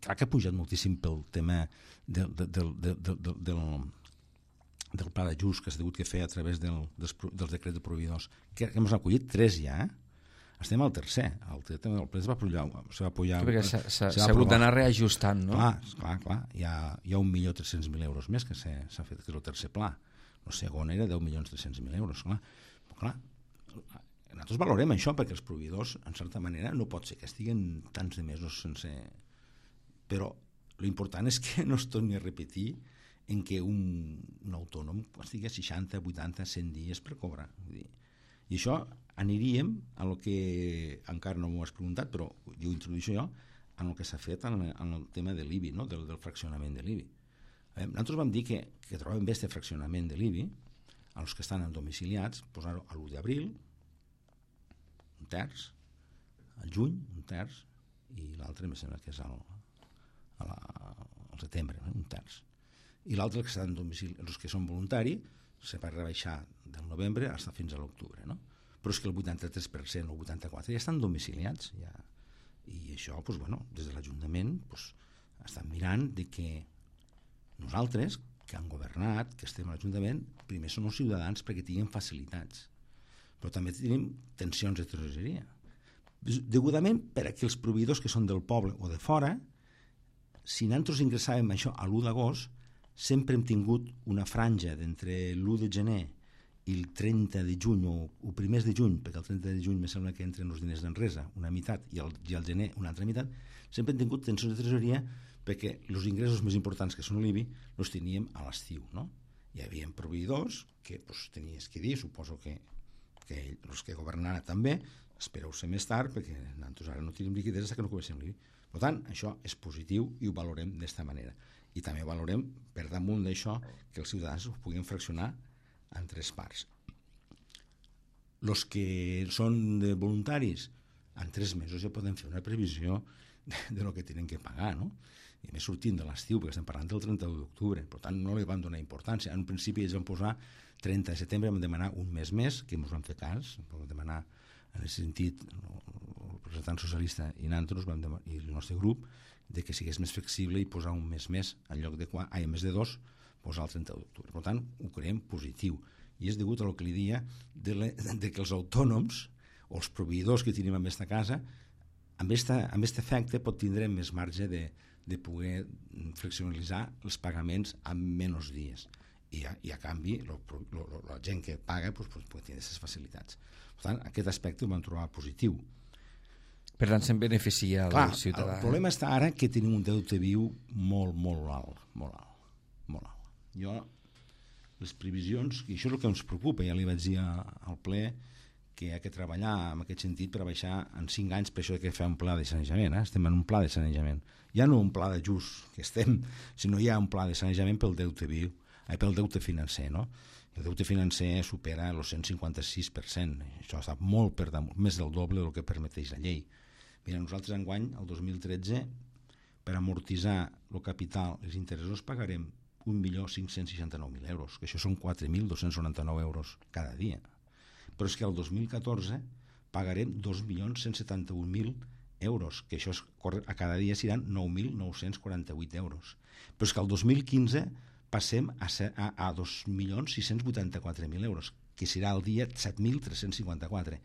clar que ha pujat moltíssim pel tema del pla d'ajust que s'ha hagut de fer a través dels decrets de proveïdors, que hem acollit 3 ja, estem al tercer. El ple se va apoyar... Perquè s'ha hagut d'anar reajustant, no? Clar. Hi ha 1.300.000 euros més que s'ha fet, que és el tercer pla. El segon era 10.300.000 euros. Clar, nosaltres valorem això, perquè els proveïdors, en certa manera, no pot ser que estiguen tants de mesos sense... Però l'important és que no es torni a repetir en què un autònom estigui a 60, 80, 100 dies per cobrar. I això aniríem a lo que encara no m'ho has preguntat, però ho introdueixo jo, en el que s'ha fet en el tema de l'IBI, no? del fraccionament de l'IBI. Nosaltres vam dir que trobem bé aquest fraccionament de l'IBI als que estan domiciliats, posar-ho a l'1 d'abril, un terç, al juny, un terç, i l'altre em sembla que és al setembre, un terç. I l'altre, els que són voluntaris, se va rebaixar del novembre fins a l'octubre, no? Però és que el 83% o el 84% ja estan domiciliats, ja. I això, des de l'Ajuntament, estan mirant de que nosaltres, que han governat, que estem a l'Ajuntament, primer són els ciutadans perquè tinguin facilitats, però també tenim tensions de tresoreria. Degudament, per a aquells proveïdors que són del poble o de fora, si nosaltres ingressàvem això a l'1 d'agost, sempre hem tingut una franja d'entre l'1 de gener i el 30 de juny o primers de juny, perquè el 30 de juny me sembla que entren els diners d'enresa, una meitat, i al gener una altra meitat, sempre hem tingut tensions de tresoreria perquè els ingressos més importants, que són l'IBI, els teníem a l'estiu, no? Hi havia proveïdors que pues, tenies que dir, suposo que els que governaran també, espereu-se més tard perquè nosaltres ara no tenim liquiditat fins que no comencem l'IBI. Per tant, això és positiu i ho valorem d'esta manera. I també valorem, per damunt d'això, que els ciutadans ho puguin fraccionar en 3 parts. Els que són de voluntaris, en 3 mesos ja poden fer una previsió de lo que tenen que pagar, no? I més sortint de l'estiu, perquè estem parlant del 31 d'octubre, per tant no li van donar importància. En un principi ells van posar 30 de setembre, vam demanar un mes més, que ens van fer cas, vam demanar en aquest sentit el representant socialista i nosaltres i el nostre grup, de que sigués més flexible i posar un mes més, en lloc de en més de 2, posar el 31 d'octubre. Per tant, ho creiem positiu. I és degut a lo que li dia de que els autònoms o els proveïdors que tenim en aquesta casa, amb aquest efecte pot tindre més marge de poder flexibilitzar els pagaments en menys dies. I a canvi, la gent que paga pot tenir aquestes facilitats. Per tant, aquest aspecte ho vam trobar positiu. Per tant, se'n beneficia el ciutadà. El problema està ara que tenim un deute viu molt alt. Les previsions, i això és el que ens preocupa, ja li vaig dir al ple que hi ha que treballar en aquest sentit per baixar en 5 anys, per això que fer un pla de sanejament. Estem en un pla de sanejament. Ja no un pla d'ajust que estem, sinó hi ha un pla de sanejament pel deute viu, pel deute financer, no? El deute financer supera el 156%. Això està molt per damunt, més del doble del que permeteix la llei. Mira, nosaltres enguany, el 2013, per amortitzar el capital i els interessos pagarem 1.569.000 euros, que això són 4.299 euros cada dia. Però és que el 2014 pagarem 2.171.000 euros, que això a cada dia seran 9.948 euros. Però és que el 2015 passem a 2.684.000 euros, que serà el dia 7.354.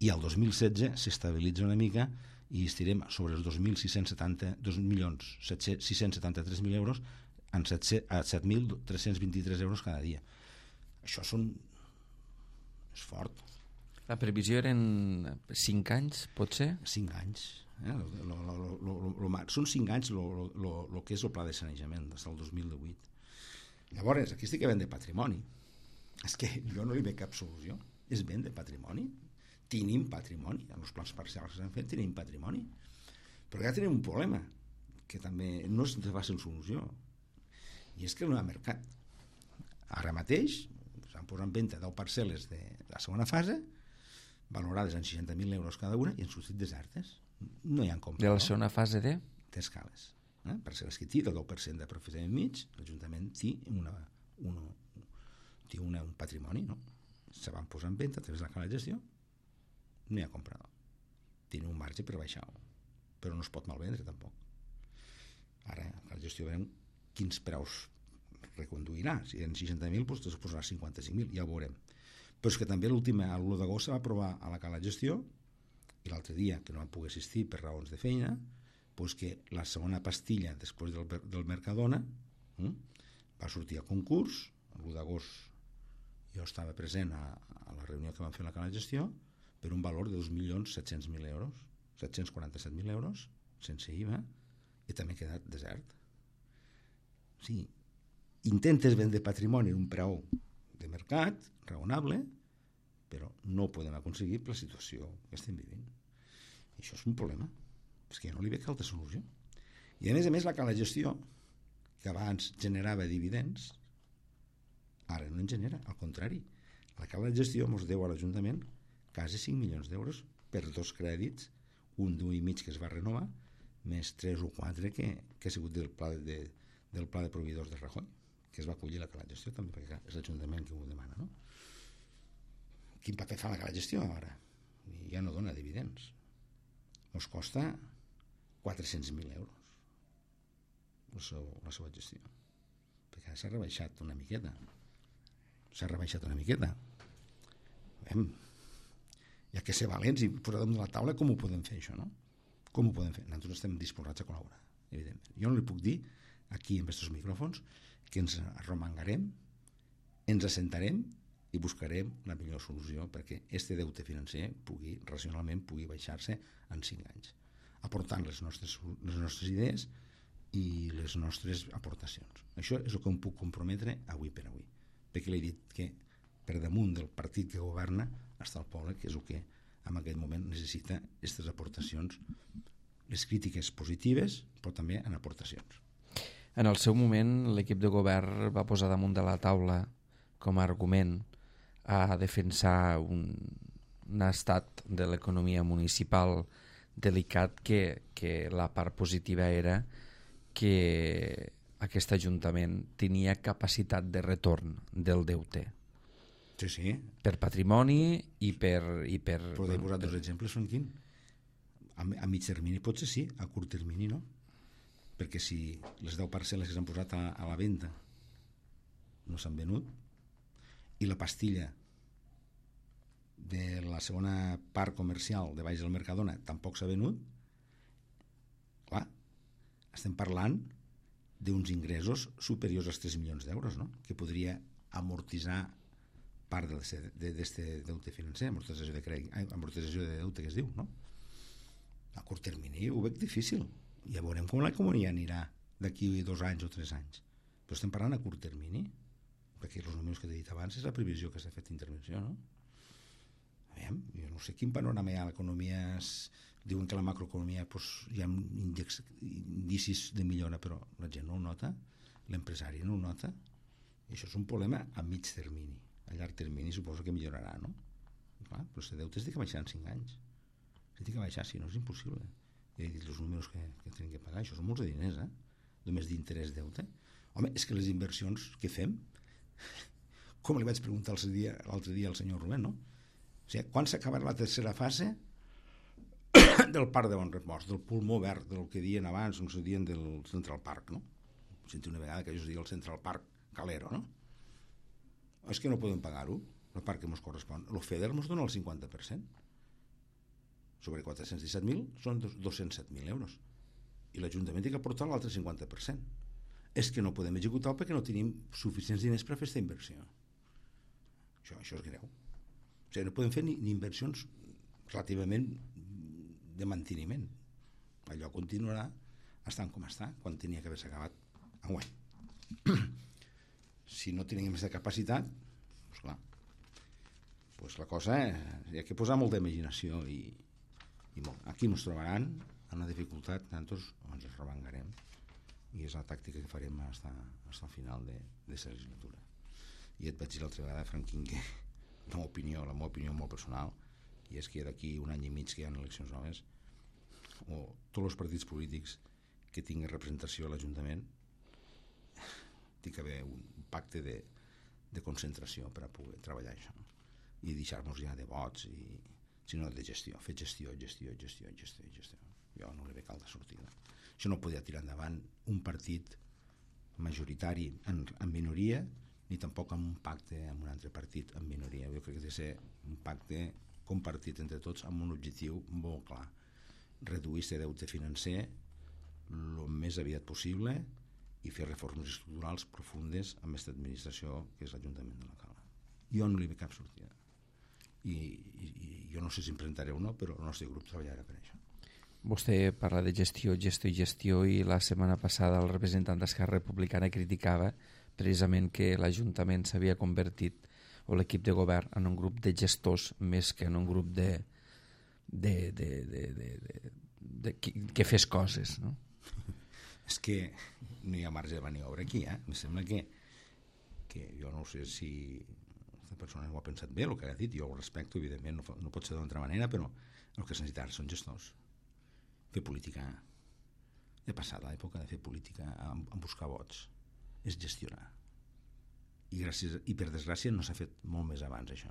I el 2016 s'estabilitza una mica i estirem sobre els 2.673.000 euros a 7.323 euros cada dia. Això és fort. La previsió eren 5 anys, pot ser? 5 anys. Són 5 anys el que és el pla de sanejament des del 2018. Llavors, aquí estic vent de patrimoni. És que jo no li veig cap solució. És vent de patrimoni. Tenim patrimoni. En els plans parcials que s'han fet tenim patrimoni. Però ja tenim un problema, que també no és de fàcil solució. I és que no hi ha mercat. Ara mateix s'han posat en venda 10 parcel·les de la segona fase, valorades en 60.000 euros cada una, i han sortit desertes. No hi ha comprador. De la segona fase de? D'escales. Parcel·les que té el 10% d'aprofitament mig, l'Ajuntament té un patrimoni, no? Se van posar en venda a través de la cala de gestió, no hi ha comprador. Tenen un marge per baixar-ho, però no es pot malvendre tampoc. Ara, a la gestió veurem quins preus reconduirà. Si eren 60.000, doncs es posarà 55.000, ja ho veurem. Però és que també l'1 d'agost se va aprovar a la cala de gestió, i l'altre dia, que no van poder assistir per raons de feina, doncs que la segona pastilla després del Mercadona va sortir a concurs. L'1 d'agost jo estava present a la reunió que vam fer a la cala de gestió, per un valor de 2.700.000 euros, 747.000 euros, sense IVA, i també ha quedat desert. Sí, intentes vendre patrimoni en un preu de mercat raonable, però no ho podem aconseguir per la situació que estem vivint. I això és un problema, és que jo no li veig altra solució. I a més, la cala de gestió, que abans generava dividends, ara no en genera, al contrari. La cala de gestió ens deu a l'Ajuntament quasi 5 milions d'euros per 2 crèdits, un d'1,5 que es va renovar, més 3 o 4 que ha sigut del pla de proveïdors de Rajoy, que es va acollir la cala de gestió també, perquè és l'Ajuntament que ho demana, no? Quin paper fa la cala de gestió ara? Ja no dona dividends. Ens costa 400.000 euros la seva gestió, perquè s'ha rebaixat una miqueta. Hi ha que ser valents i posar damunt de la taula com ho podem fer, això, no? Com ho podem fer? Nosaltres estem disposats a col·laborar, evidentment. Jo no li puc dir aquí en aquests micròfons que ens arromangarem, ens assentarem i buscarem la millor solució perquè este deute financer racionalment pugui baixar-se en 5 anys, aportant les nostres idees i les nostres aportacions. Això és el que em puc comprometre avui per avui, perquè l'he dit que per damunt del partit que governa està el poble, que és el que en aquest moment necessita aquestes aportacions, les crítiques positives, però també en aportacions. En el seu moment, l'equip de govern va posar damunt de la taula com a argument a defensar un estat de l'economia municipal delicat, que la part positiva era que aquest Ajuntament tenia capacitat de retorn del deute. Sí, sí. Per patrimoni i per... Podeu posar dos exemples, són quin? A mig termini potser sí, a curt termini no. Perquè si les 10 parcel·les que s'han posat a la venda no s'han venut i la pastilla de la segona part comercial de baix del Mercadona tampoc s'ha venut, clar, estem parlant d'uns ingressos superiors als 3 milions d'euros, no? Que podria amortitzar part d'aquest deute financer, amortització de deute que es diu, no? A curt termini ho veig difícil. Ja veurem com l'economia anirà d'aquí 2 anys o 3 anys. Però estem parlant a curt termini, perquè els números que t'he dit abans és la previsió que s'ha fet d'intervenció, no? Aviam, jo no sé quin panorama hi ha a l'economia. Diuen que la macroeconomia hi ha indicis de millora, però la gent no ho nota, l'empresari no ho nota, i això és un problema a mig termini. A llarg termini suposo que millorarà, no? Clar, però aquest deute es té que baixar en 5 anys. Es té que baixar, si no és impossible. Ja he dit els números que tenen que pagar, això són molts de diners, només d'interès deute. Home, és que les inversions que fem, com li vaig preguntar l'altre dia al senyor Rubén, no? O sigui, quan s'acabarà la tercera fase del parc de Bon Repòs, del pulmó verd, del que diuen abans, no se diuen del Central Park, no? Senti una vegada que jo es diu el Central Park Calero, no? És que no podem pagar-ho, el parc que ens correspon. El FEDER ens dona el 50%. Sobre 417.000 són 207.000 euros. I l'Ajuntament té que aportar l'altre 50%. És que no podem executar perquè no tenim suficients diners per fer aquesta inversió. Això és greu. O sigui, no podem fer ni inversions relativament de manteniment. Allò continuarà estant com està, quan tenia que haver-se acabat enguany. Si no tenim aquesta capacitat, doncs clar, doncs la cosa hi ha que posar molta imaginació i molt. Aquí ens trobaran en una dificultat, nosaltres ens revengarem i és la tàctica que farem fins al final de la legislatura. I et vaig dir l'altra vegada, Franquín, que la meva opinió molt personal, i és que d'aquí 1 any i mig que hi ha eleccions noves, o tots els partits polítics que tinguin representació a l'Ajuntament té que haver un pacte de concentració per a poder treballar això i deixar-nos ja de vots sinó de gestió, fer gestió. Jo no li veig altra sortida. Això no podia tirar endavant un partit majoritari en minoria, ni tampoc amb un pacte amb un altre partit en minoria. Jo crec que ha de ser un pacte compartit entre tots amb un objectiu molt clar: reduir aquest deute financer el més aviat possible i fer reformes estructurals profundes amb aquesta administració que és l'Ajuntament de l'Alcalá. Jo no li veig cap sortida. I jo no sé si em presentaré o no, però el nostre grup treballarà per això. Vostè parla de gestió i la setmana passada el representant d'Esquerra Republicana criticava precisament que l'Ajuntament s'havia convertit, o l'equip de govern, en un grup de gestors més que en un grup que fes coses, no? És que no hi ha marge de maniobra aquí, Em sembla que jo no sé si aquesta persona ho ha pensat bé, el que ha dit, jo ho respecto, evidentment, no pot ser d'una altra manera, però el que es necessita són gestors. Fer política, he passat l'època de fer política en buscar vots, és gestionar. I per desgràcia no s'ha fet molt més abans això.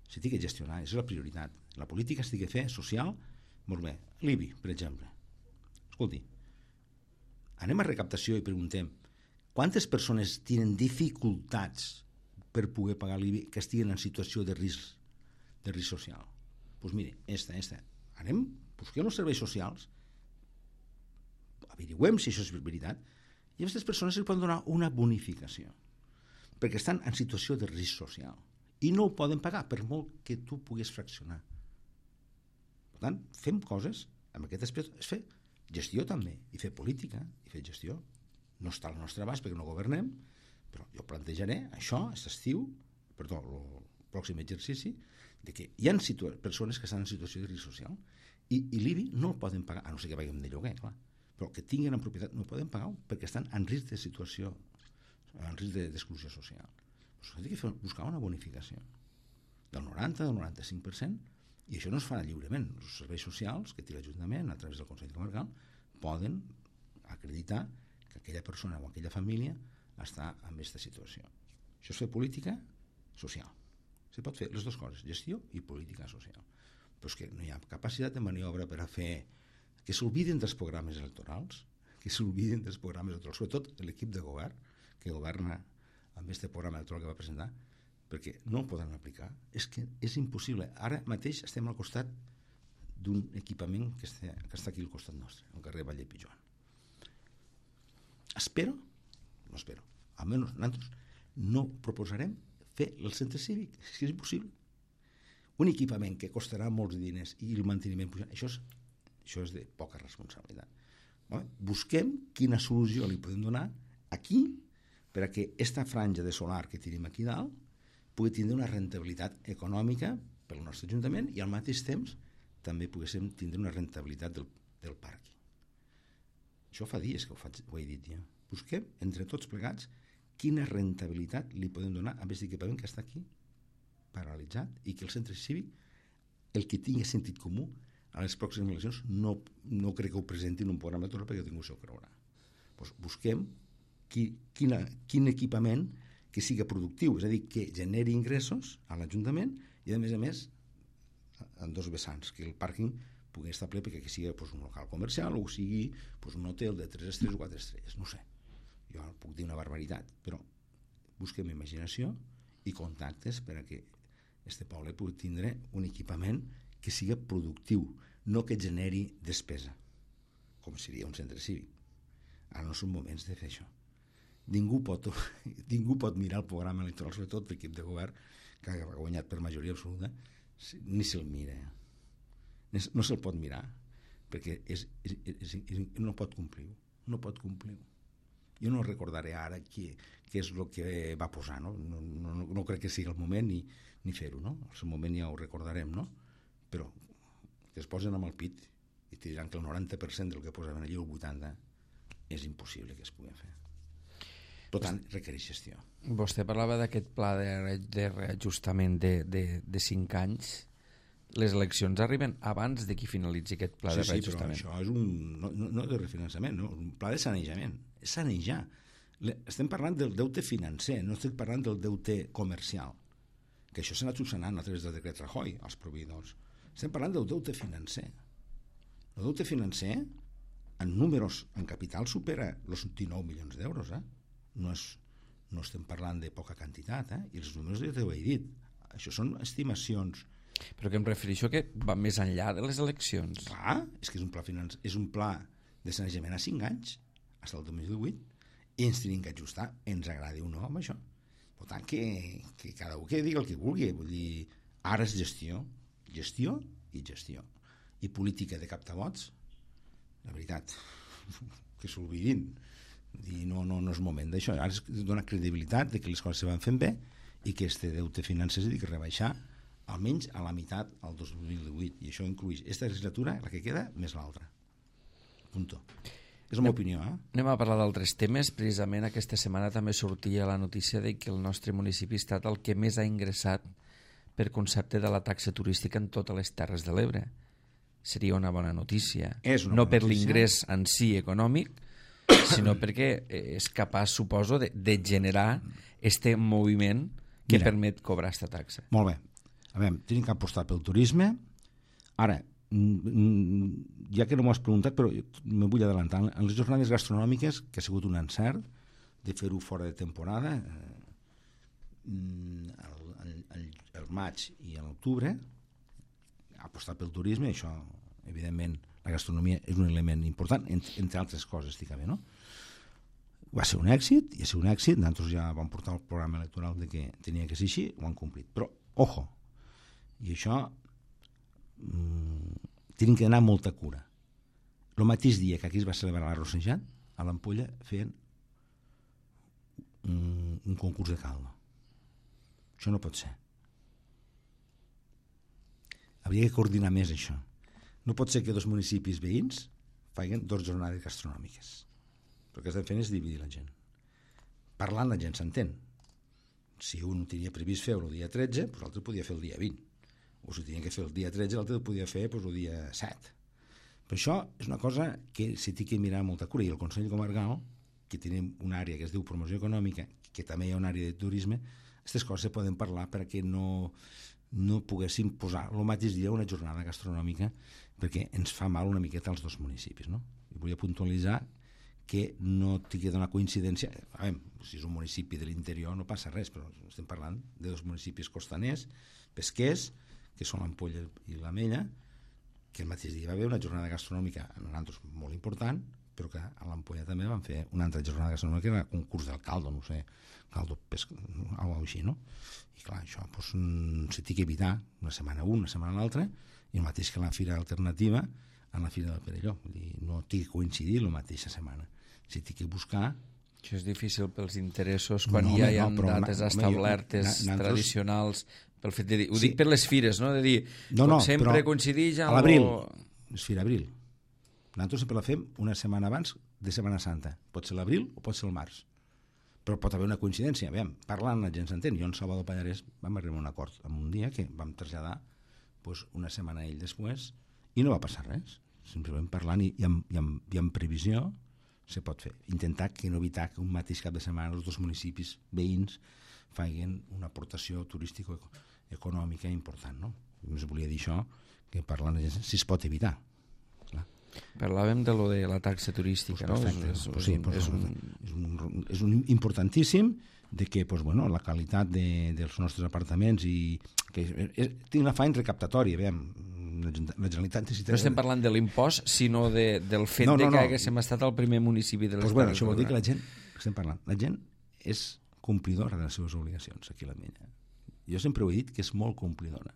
Si té que gestionar, és la prioritat. La política s'ha de fer social, molt bé. L'IBI, per exemple. Escolti, anem a recaptació i preguntem quantes persones tenen dificultats per poder pagar l'IBI que estiguen en situació de risc social. Doncs mire, esta. Anem, busquem els serveis socials, averiguem si això és veritat, i a aquestes persones es poden donar una bonificació, perquè estan en situació de risc social i no ho poden pagar per molt que tu puguis fraccionar. Per tant, fem coses amb aquest aspecte, és fer gestió també, i fer política, i fer gestió. No està al nostre abast perquè no governem, però jo plantejaré això, el pròxim exercici, de que hi ha persones que estan en situació de risc social i l'IBI no el poden pagar, a no ser que paguem de lloguer, clar, però que tinguin en propietat no poden pagar perquè estan en risc de situació, en risc d'exclusió social. Doncs hem de buscar una bonificació del 90, del 95%, i això no es farà lliurement. Els serveis socials que té l'Ajuntament a través del Consell Comarcal poden acreditar que aquella persona o aquella família està en aquesta situació. Això és fer política social. Se pot fer les dues coses, gestió i política social. Però és que no hi ha capacitat de maniobra per a fer que s'olviden dels programes electorals, sobretot l'equip de govern que governa amb aquest programa electoral que va presentar, perquè no el poden aplicar. És que és impossible. Ara mateix estem al costat d'un equipament que està aquí al costat nostre, al carrer Vall de Pijoan. Almenys nosaltres no proposarem fer el centre cívic, és que és impossible. Un equipament que costarà molts diners i el manteniment pujant, això és de poca responsabilitat. Busquem quina solució li podem donar aquí per a que aquesta franja de solar que tenim aquí dalt pugui tindre una rentabilitat econòmica pel nostre Ajuntament i al mateix temps també poguéssim tindre una rentabilitat del parc. Això fa dies que ho he dit ja. Busquem entre tots plegats quina rentabilitat li podem donar a aquest equipament que està aquí paralitzat i que el centre cívic, el que tingui sentit comú, a les pròximes eleccions no crec que ho presentin un programa electoral perquè ningú s'ho creurà. Doncs busquem quin equipament que sigui productiu, és a dir, que generi ingressos a l'Ajuntament i a més en dos vessants, que el pàrquing pugui estar ple perquè sigui un local comercial o sigui un hotel de 3 estrelles o 4 estrelles, no sé. Jo puc dir una barbaritat, però busquem imaginació i contactes per a que este poble pugui tindre un equipament que siga productiu, no que generi despesa, com seria un centre cívic. Ara no són moments de fer això. Ningú pot mirar el programa electoral, sobretot l'equip de govern que ha guanyat per majoria absoluta, ni se'l mira. No se'l pot mirar, perquè no pot complir. No pot complir. Jo no recordaré ara què és el que va posar, no? No crec que sigui el moment ni fer-ho, no? En el moment ja ho recordarem, no? Però que es posen amb el pit i te diran que el 90% del que posaven allà, el 80%, és impossible que es pugui fer. Per tant, requereix gestió. Vostè parlava d'aquest pla de reajustament de 5 anys. Les eleccions arriben abans de que finalitzi aquest pla de reajustament. Sí, però això és no de refinançament, no, un pla de sanejament. És sanejar. Estem parlant del deute financer, no estem parlant del deute comercial, que això s'ha anat subsanant a través del decret Rajoy als proveïdors. Estem parlant del deute financer. El deute financer, en números, en capital, supera els 19 milions d'euros, No estem parlant de poca quantitat, i els números ja t'ho he dit. Això són estimacions. Però que em refereixo que va més enllà de les eleccions. Clar, és que és un pla de sanejament a 5 anys, fins al 2018, i ens tenim que ajustar, ens agradi o no, amb això. Per tant, que cada un que digui el que vulgui. Vull dir, ara és gestió i gestió. I política de captavots, la veritat, que s'oblidin. I no és moment d'això. Ara es dona credibilitat de que les coses se van fent bé i que este deute financer s'ha de rebaixar almenys a la meitat al 2018, i això inclueix aquesta legislatura, la que queda, més l'altra. Punto. És la meva opinió. Anem a parlar d'altres temes. Precisament aquesta setmana també sortia la notícia de que el nostre municipi ha estat el que més ha ingressat per concepte de la taxa turística en totes les Terres de l'Ebre. Seria una bona notícia. No per l'ingrés en si econòmic, sinó perquè és capaç, suposo, de generar este moviment que permet cobrar aquesta taxa. Molt bé. A veure, tenim que apostar pel turisme. Ara, ja que no m'ho has preguntat, però me vull adelantar. En les jornades gastronòmiques, que ha sigut un encert de fer-ho fora de temporada, el maig i l'octubre, apostar pel turisme, això, evidentment, la gastronomia és un element important, entre altres coses, no? Va ser un èxit, i va ser un èxit, nosaltres ja vam portar el programa electoral de que tenia que ser així, ho han complit. Però, ojo, i això tenen que anar amb molta cura. El mateix dia que aquí es va celebrar la Rossejat, a l'Ampolla feien un concurs de caldo. Això no pot ser. Hauria que coordinar més això. No pot ser que dos municipis veïns facin 2 jornades gastronòmiques. El que estem fent és dividir la gent. Parlant la gent s'entén. Si un tenia previst fer-ho el dia 13, doncs l'altre podia fer el dia 20. O si tenia que fer el dia 13, l'altre podia fer el dia 7. Però això és una cosa que s'hi té que mirar amb molta cura. I el Consell Comarcal, que tenim una àrea que es diu promoció econòmica, que també hi ha una àrea de turisme, aquestes coses se poden parlar perquè no poguéssim posar el mateix dia una jornada gastronòmica, perquè ens fa mal una miqueta als dos municipis, no? I volia puntualitzar que no tingui una coincidència. Si és un municipi de l'interior no passa res, però estem parlant de 2 municipis costaners, pesquers, que són l'Ampolla i l'Amella, que el mateix dia va haver una jornada gastronòmica en nosaltres molt important, però que a l'Ampolla també van fer una altra jornada gastronòmica, que era el concurs del caldo, no sé, caldo pesca, alguna cosa així, no? I clar, això s'ha d'evitar una setmana una setmana l'altra, i el mateix que la Fira Alternativa en la Fira del Perelló. Vull dir, no té que coincidir la mateixa setmana. Si té que buscar... Això és difícil pels interessos, quan ja hi ha dates establertes, tradicionals, pel fet de dir... Ho dic per les fires, no? De dir, com sempre coincideix amb... A l'abril, és Fira Abril. Nosaltres sempre la fem una setmana abans de Setmana Santa. Pot ser l'abril o pot ser el març. Però pot haver una coincidència. Parlant la gent s'entén. Jo en Salvador Pallarès vam arribar a un acord en un dia que vam traslladar una setmana ell després i no va passar res. Simplement parlant i amb previsió se pot fer. Intentar que no evitar que un mateix cap de setmana els dos municipis veïns facin una aportació turística econòmica important, no? Només volia dir això, que parlant de gent, si es pot evitar. Clar. Parlàvem de lo de la taxa turística, no? És un importantíssim de que la qualitat dels nostres apartaments i que té una afany recaptatòria, la Generalitat necessita... No estem parlant de l'impost, sinó del fet que haguéssim estat el primer municipi de l'Estat. Això vol dir que la gent és complidora de les seves obligacions aquí a l'Ametlla. Jo sempre ho he dit que és molt complidora.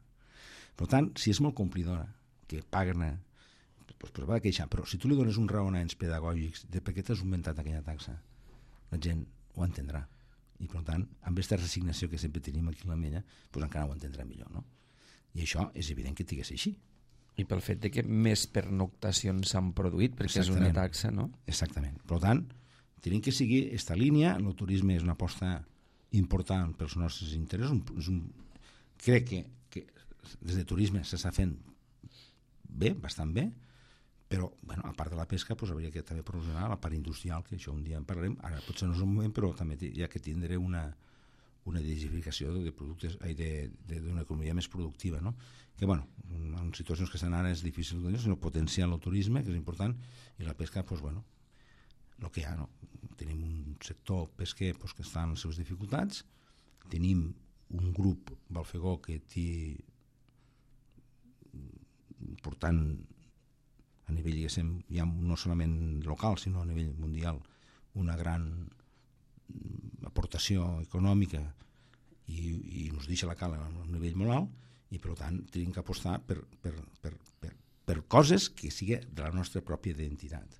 Per tant, si és molt complidora, que paguen, doncs va queixar, però si tu li dones uns raonaments pedagògics de per què t'has augmentat aquella taxa, la gent ho entendrà. I per tant, amb aquesta resignació que sempre tenim aquí a l'Ametlla, doncs encara ho entendrà millor, no? I això és evident que tingués així. I pel fet de que més pernoctacions s'han produït, perquè és una taxa, no? Exactament. Per tant, tenim que seguir aquesta línia. El turisme és una aposta important pels nostres interessos. Crec que des de turisme s'està fent bé, bastant bé, però a part de la pesca hauria que també promocionar la part industrial, que això un dia en parlarem. Ara potser no és un moment, però també hi ha que tindre una diversificació de productes, d'una economia més productiva, no? Que, en situacions que estan ara és difícil, sinó potenciar el turisme, que és important, i la pesca, el que hi ha, no? Tenim un sector pesquer que està en les seves dificultats, tenim un grup Balfegó que té important a nivell, ja no solament local, sinó a nivell mundial, una gran aportació econòmica i ens deixa la cala a un nivell molt alt, i per tant tenim que apostar per coses que siguin de la nostra pròpia identitat.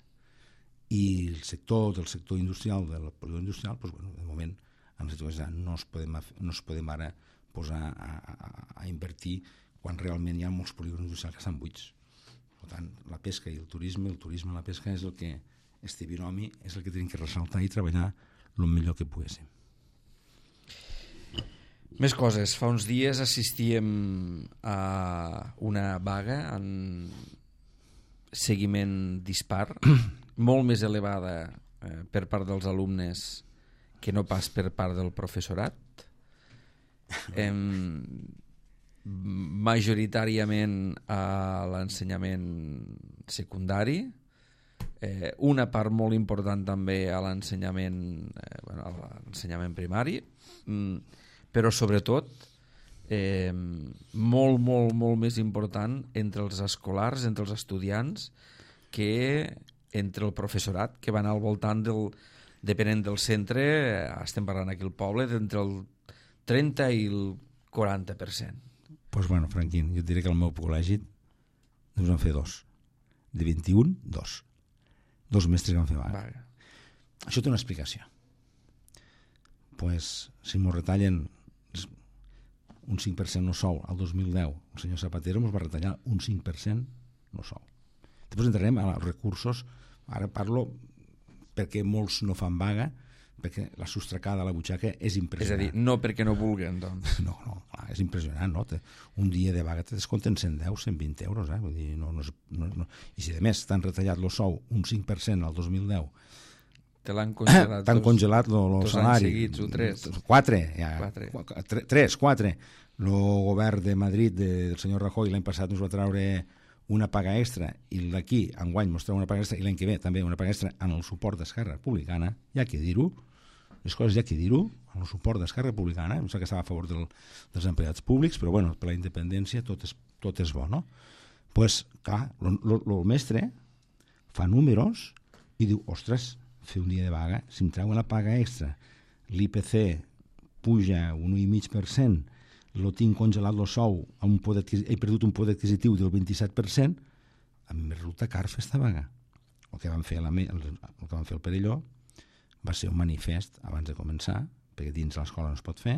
I el sector industrial, del polígon industrial, de moment no es podem ara posar a invertir quan realment hi ha molts polígons industrials que estan buits. Per tant, la pesca i el turisme i la pesca és el que este binomi és el que tenim que ressaltar i treballar el millor que poguéssim. Més coses. Fa uns dies assistíem a una vaga en seguiment dispar, molt més elevada per part dels alumnes que no pas per part del professorat. Majoritàriament a l'ensenyament secundari, una part molt important també a l'ensenyament primari, però sobretot molt més important entre els escolars, entre els estudiants, que entre el professorat, que va anar al voltant depenent del centre, estem parlant aquí al poble, d'entre el 30 i el 40%. Doncs bueno, Franquín, jo et diré que al meu col·legi ens van fer 2. De 21, 2. 2 mestres que van fer vaga. Això té una explicació. Pues, si m'ho retallen un 5% no sou al 2010, el senyor Zapatero ens va retallar un 5% no sou. Després entrarem als recursos. Ara parlo perquè molts no fan vaga, perquè la sostracada a la butxaca és impressionant. És a dir, no perquè no vulguen, doncs. No, clar, és impressionant, no? Un dia de vaga te descompten 110, 120 euros, Vull dir, no. I si a més t'han retallat el sou un 5% al 2010, te l'han congelat. T'han congelat el salari. 2 anys seguits o 3. 4, ja. 4. El govern de Madrid del senyor Rajoy l'any passat ens va treure una paga extra, i d'aquí enguany ens treu una paga extra, i l'any que ve també una paga extra en el suport d'Esquerra Republicana. Hi ha que dir-ho, les coses hi ha que dir-ho, en el suport d'Esquerra Republicana. Em sembla que estava a favor dels empleats públics, però bueno, per la independència tot és bo, no? Pues, clar, el mestre fa números i diu, ostres, fer un dia de vaga, si em treuen la paga extra, l'IPC puja un 1,5%, lo tinc congelat el sou, he perdut un poder adquisitiu del 27%, a mi em resulta car fer esta vaga. El que van fer el Perelló va ser un manifest abans de començar, perquè dins l'escola no es pot fer,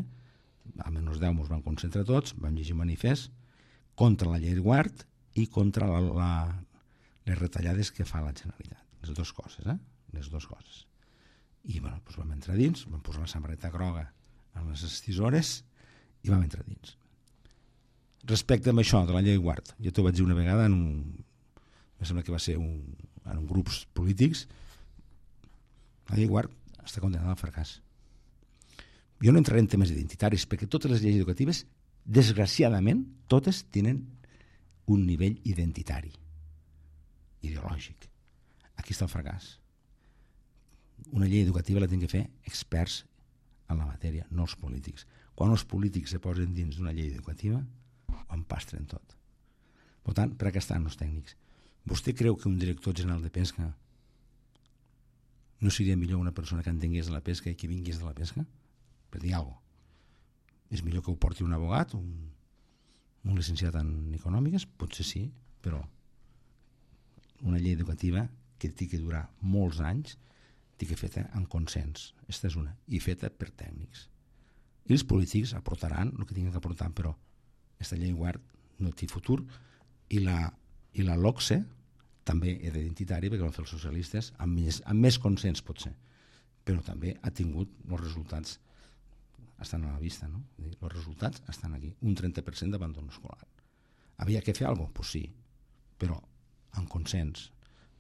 a menys 10 ens van concentrar tots, vam llegir un manifest contra la llei de guard i contra les retallades que fa la Generalitat. Les dues coses, les dues coses. I bueno, doncs vam entrar dins, vam posar la samarreta groga en les estisores i vam entrar dins. Respecte a això de la llei guard, jo t'ho vaig dir una vegada em sembla que va ser en grups polítics, la llei guard està condenada al fracàs. Jo no entraré en temes identitaris, perquè totes les lleis educatives, desgraciadament, totes tenen un nivell identitari, ideològic. Aquí està el fracàs. Una llei educativa la tenen que fer experts en la matèria, no els polítics. Quan els polítics se posen dins d'una llei educativa, ho empastren tot. Per tant, per què estan els tècnics? Vostè creu que un director general de pesca no seria millor una persona que entengués de la pesca i que vingués de la pesca? Per dir alguna cosa. És millor que ho porti un abogat, un llicenciat en econòmiques? Potser sí, però una llei educativa que té que durar molts anys, té que feta en consens. Aquesta és una. I feta per tècnics. I els polítics aportaran el que tinguin que aportar, però aquesta llei guard no té futur, i la LOCSE també és identitària, perquè van fer els socialistes amb més consens potser, però també ha tingut els resultats, estan a la vista, no? Els resultats estan aquí, un 30% d'abandon escolar. Havia que fer alguna cosa? Pues sí, però en consens,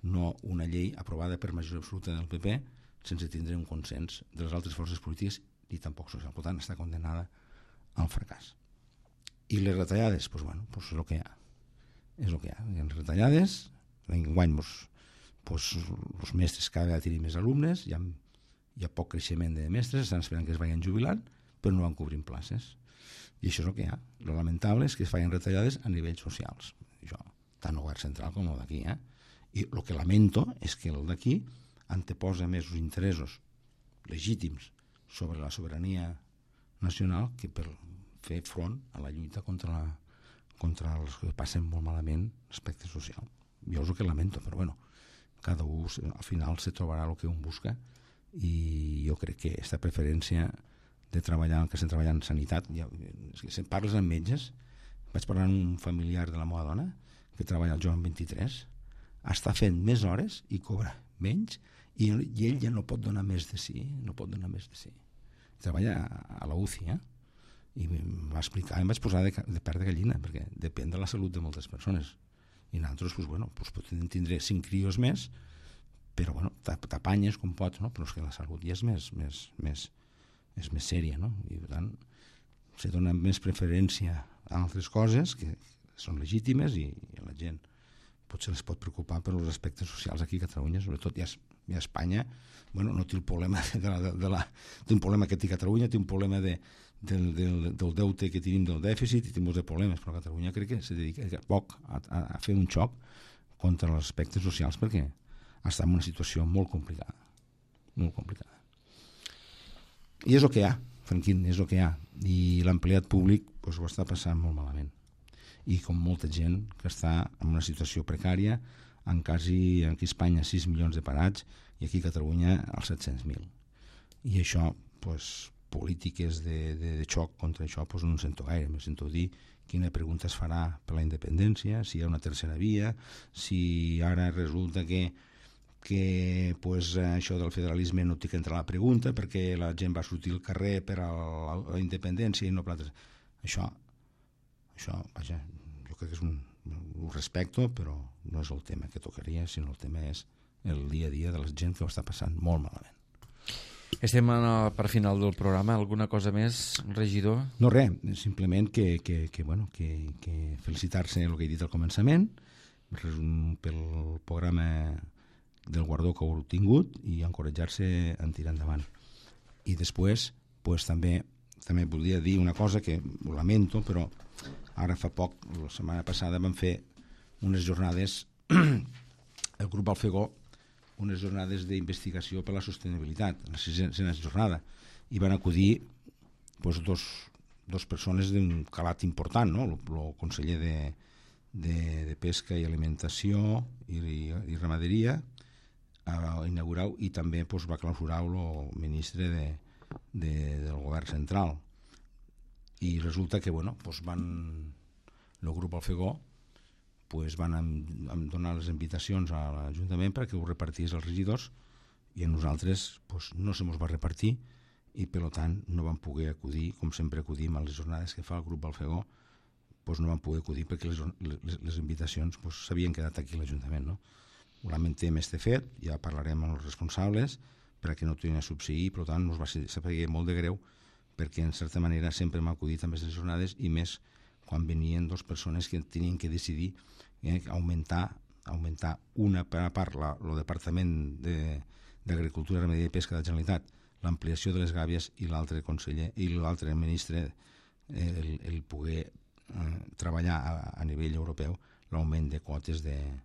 no una llei aprovada per majoria absoluta del PP sense tindre un consens de les altres forces polítiques i tampoc social. Per tant, està condenada al fracàs. I les retallades, doncs bueno, és el que hi ha. És el que hi ha. Hi ha retallades, l'enguany els mestres cada vegada tenen més alumnes, hi ha poc creixement de mestres, estan esperant que es vagin jubilant, però no van cobrint places. I això és el que hi ha. Lo lamentable és que es facin retallades a nivells socials. Això, tant el govern central com el d'aquí. I el que lamento és que el d'aquí anteposa més els interessos legítims sobre la sobirania nacional que per fer front a la lluita contra els que passen molt malament l'aspecte social. Jo és el que lamento, però bueno, cada un al final se trobarà el que un busca, i jo crec que aquesta preferència de treballar, el que estem treballant en sanitat, si parles amb metges, vaig parlar amb un familiar de la meva dona que treballa al Joan 23, està fent més hores i cobra menys, i ell ja no pot donar més de si, treballa a la UCI, i em va explicar, em vaig posar de pèl de gallina, perquè depèn de la salut de moltes persones, i nosaltres podem tindre 5 crios més, però t'apanyes com pots, però és que la salut ja és més sèria, i per tant se dona més preferència a altres coses que són legítimes, i la gent potser es pot preocupar per els aspectes socials aquí a Catalunya, sobretot ja a Espanya, no té el problema té un problema que té Catalunya, té un problema del deute que tenim, del dèficit, i té molts de problemes, però Catalunya crec que se dedica poc a fer un xoc contra els aspectes socials, perquè està en una situació molt complicada. molt complicada. I és el que hi ha, Franquín, és el que hi ha. I l'empleat públic doncs, ho està passant molt malament. I com molta gent que està en una situació precària, aquí a Espanya 6 milions de parats i aquí a Catalunya els 700.000. I això, doncs, polítiques de xoc contra això, doncs no en sento gaire. Me sento dir quina pregunta es farà per la independència, si hi ha una tercera via, si ara resulta que pues, això del federalisme no té que entrar a la pregunta perquè la gent va sortir al carrer per a la independència i no per altres. Això, vaja, jo crec que és ho respecto, però no és el tema que tocaria, sinó el tema és el dia a dia de la gent que ho està passant molt malament. Estem per final del programa. Alguna cosa més, regidor? No, res, simplement que felicitar-se el que he dit al començament pel programa del guardó que heu tingut i encoratjar-se en tirar endavant. I després pues, també voldria dir una cosa que ho lamento, però ara fa poc, la setmana passada, vam fer unes jornades, el grup Alfegó, unes jornades d'investigació per la sostenibilitat, la 6a jornada, i van acudir pues, dos persones d'un calat important, no? El conseller de Pesca i Alimentació i Ramaderia a inaugurar, i també pues, va clausurar el ministre del govern central. I resulta que pues, el grup Alfegó pues, van donar les invitacions a l'Ajuntament perquè ho repartís als regidors i a nosaltres pues, no se mos va repartir i per tant no vam poder acudir, com sempre acudim a les jornades que fa el grup Alfegó, pues, no vam poder acudir perquè les invitacions pues, s'havien quedat aquí a l'Ajuntament. No? Ho lamentem fet, ja parlarem amb els responsables perquè no tornin a subsistir, per tant ens va saber molt de greu perquè en certa manera sempre hem acudit a les jornades i més quan venien dues persones que tenien que decidir augmentar una part el Departament d'Agricultura, Ramaderia i Pesca de la Generalitat, l'ampliació de les gàbies, i l'altre conseller i l'altre ministre el poder treballar a nivell europeu l'augment de quotes de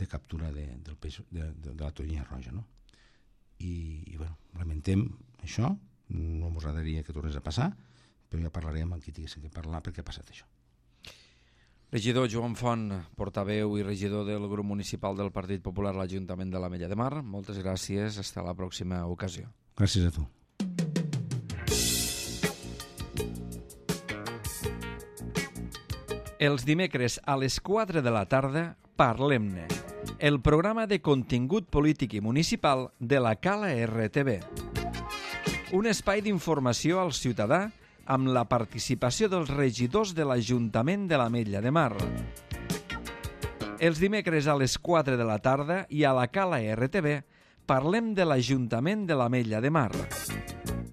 captura del peix, de la tonyina roja. No? I bueno, lamentem això, no ens agradaria que tornés a passar, però ja parlarem amb qui tinguéssim que parlar perquè ha passat això. Regidor Joan Font, portaveu i regidor del grup municipal del Partit Popular a l'Ajuntament de l'Ametlla de Mar, moltes gràcies, fins a la pròxima ocasió. Gràcies a tu. Els dimecres a les 4 de la tarda, Parlem-ne, el programa de contingut polític i municipal de la Cala RTV. Un espai d'informació al ciutadà amb la participació dels regidors de l'Ajuntament de l'Ametlla de Mar. Els dimecres a les 4 de la tarda i a la Cala RTV parlem de l'Ajuntament de l'Ametlla de Mar.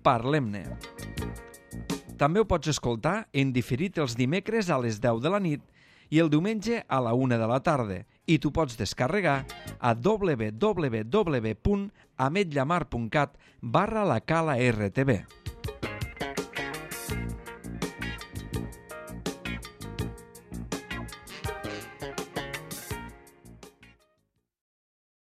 Parlem-ne. També ho pots escoltar en diferit els dimecres a les 10 de la nit i el diumenge a la 1 de la tarda, i tu pots descarregar a www.ametllamar.cat/la Cala RTV.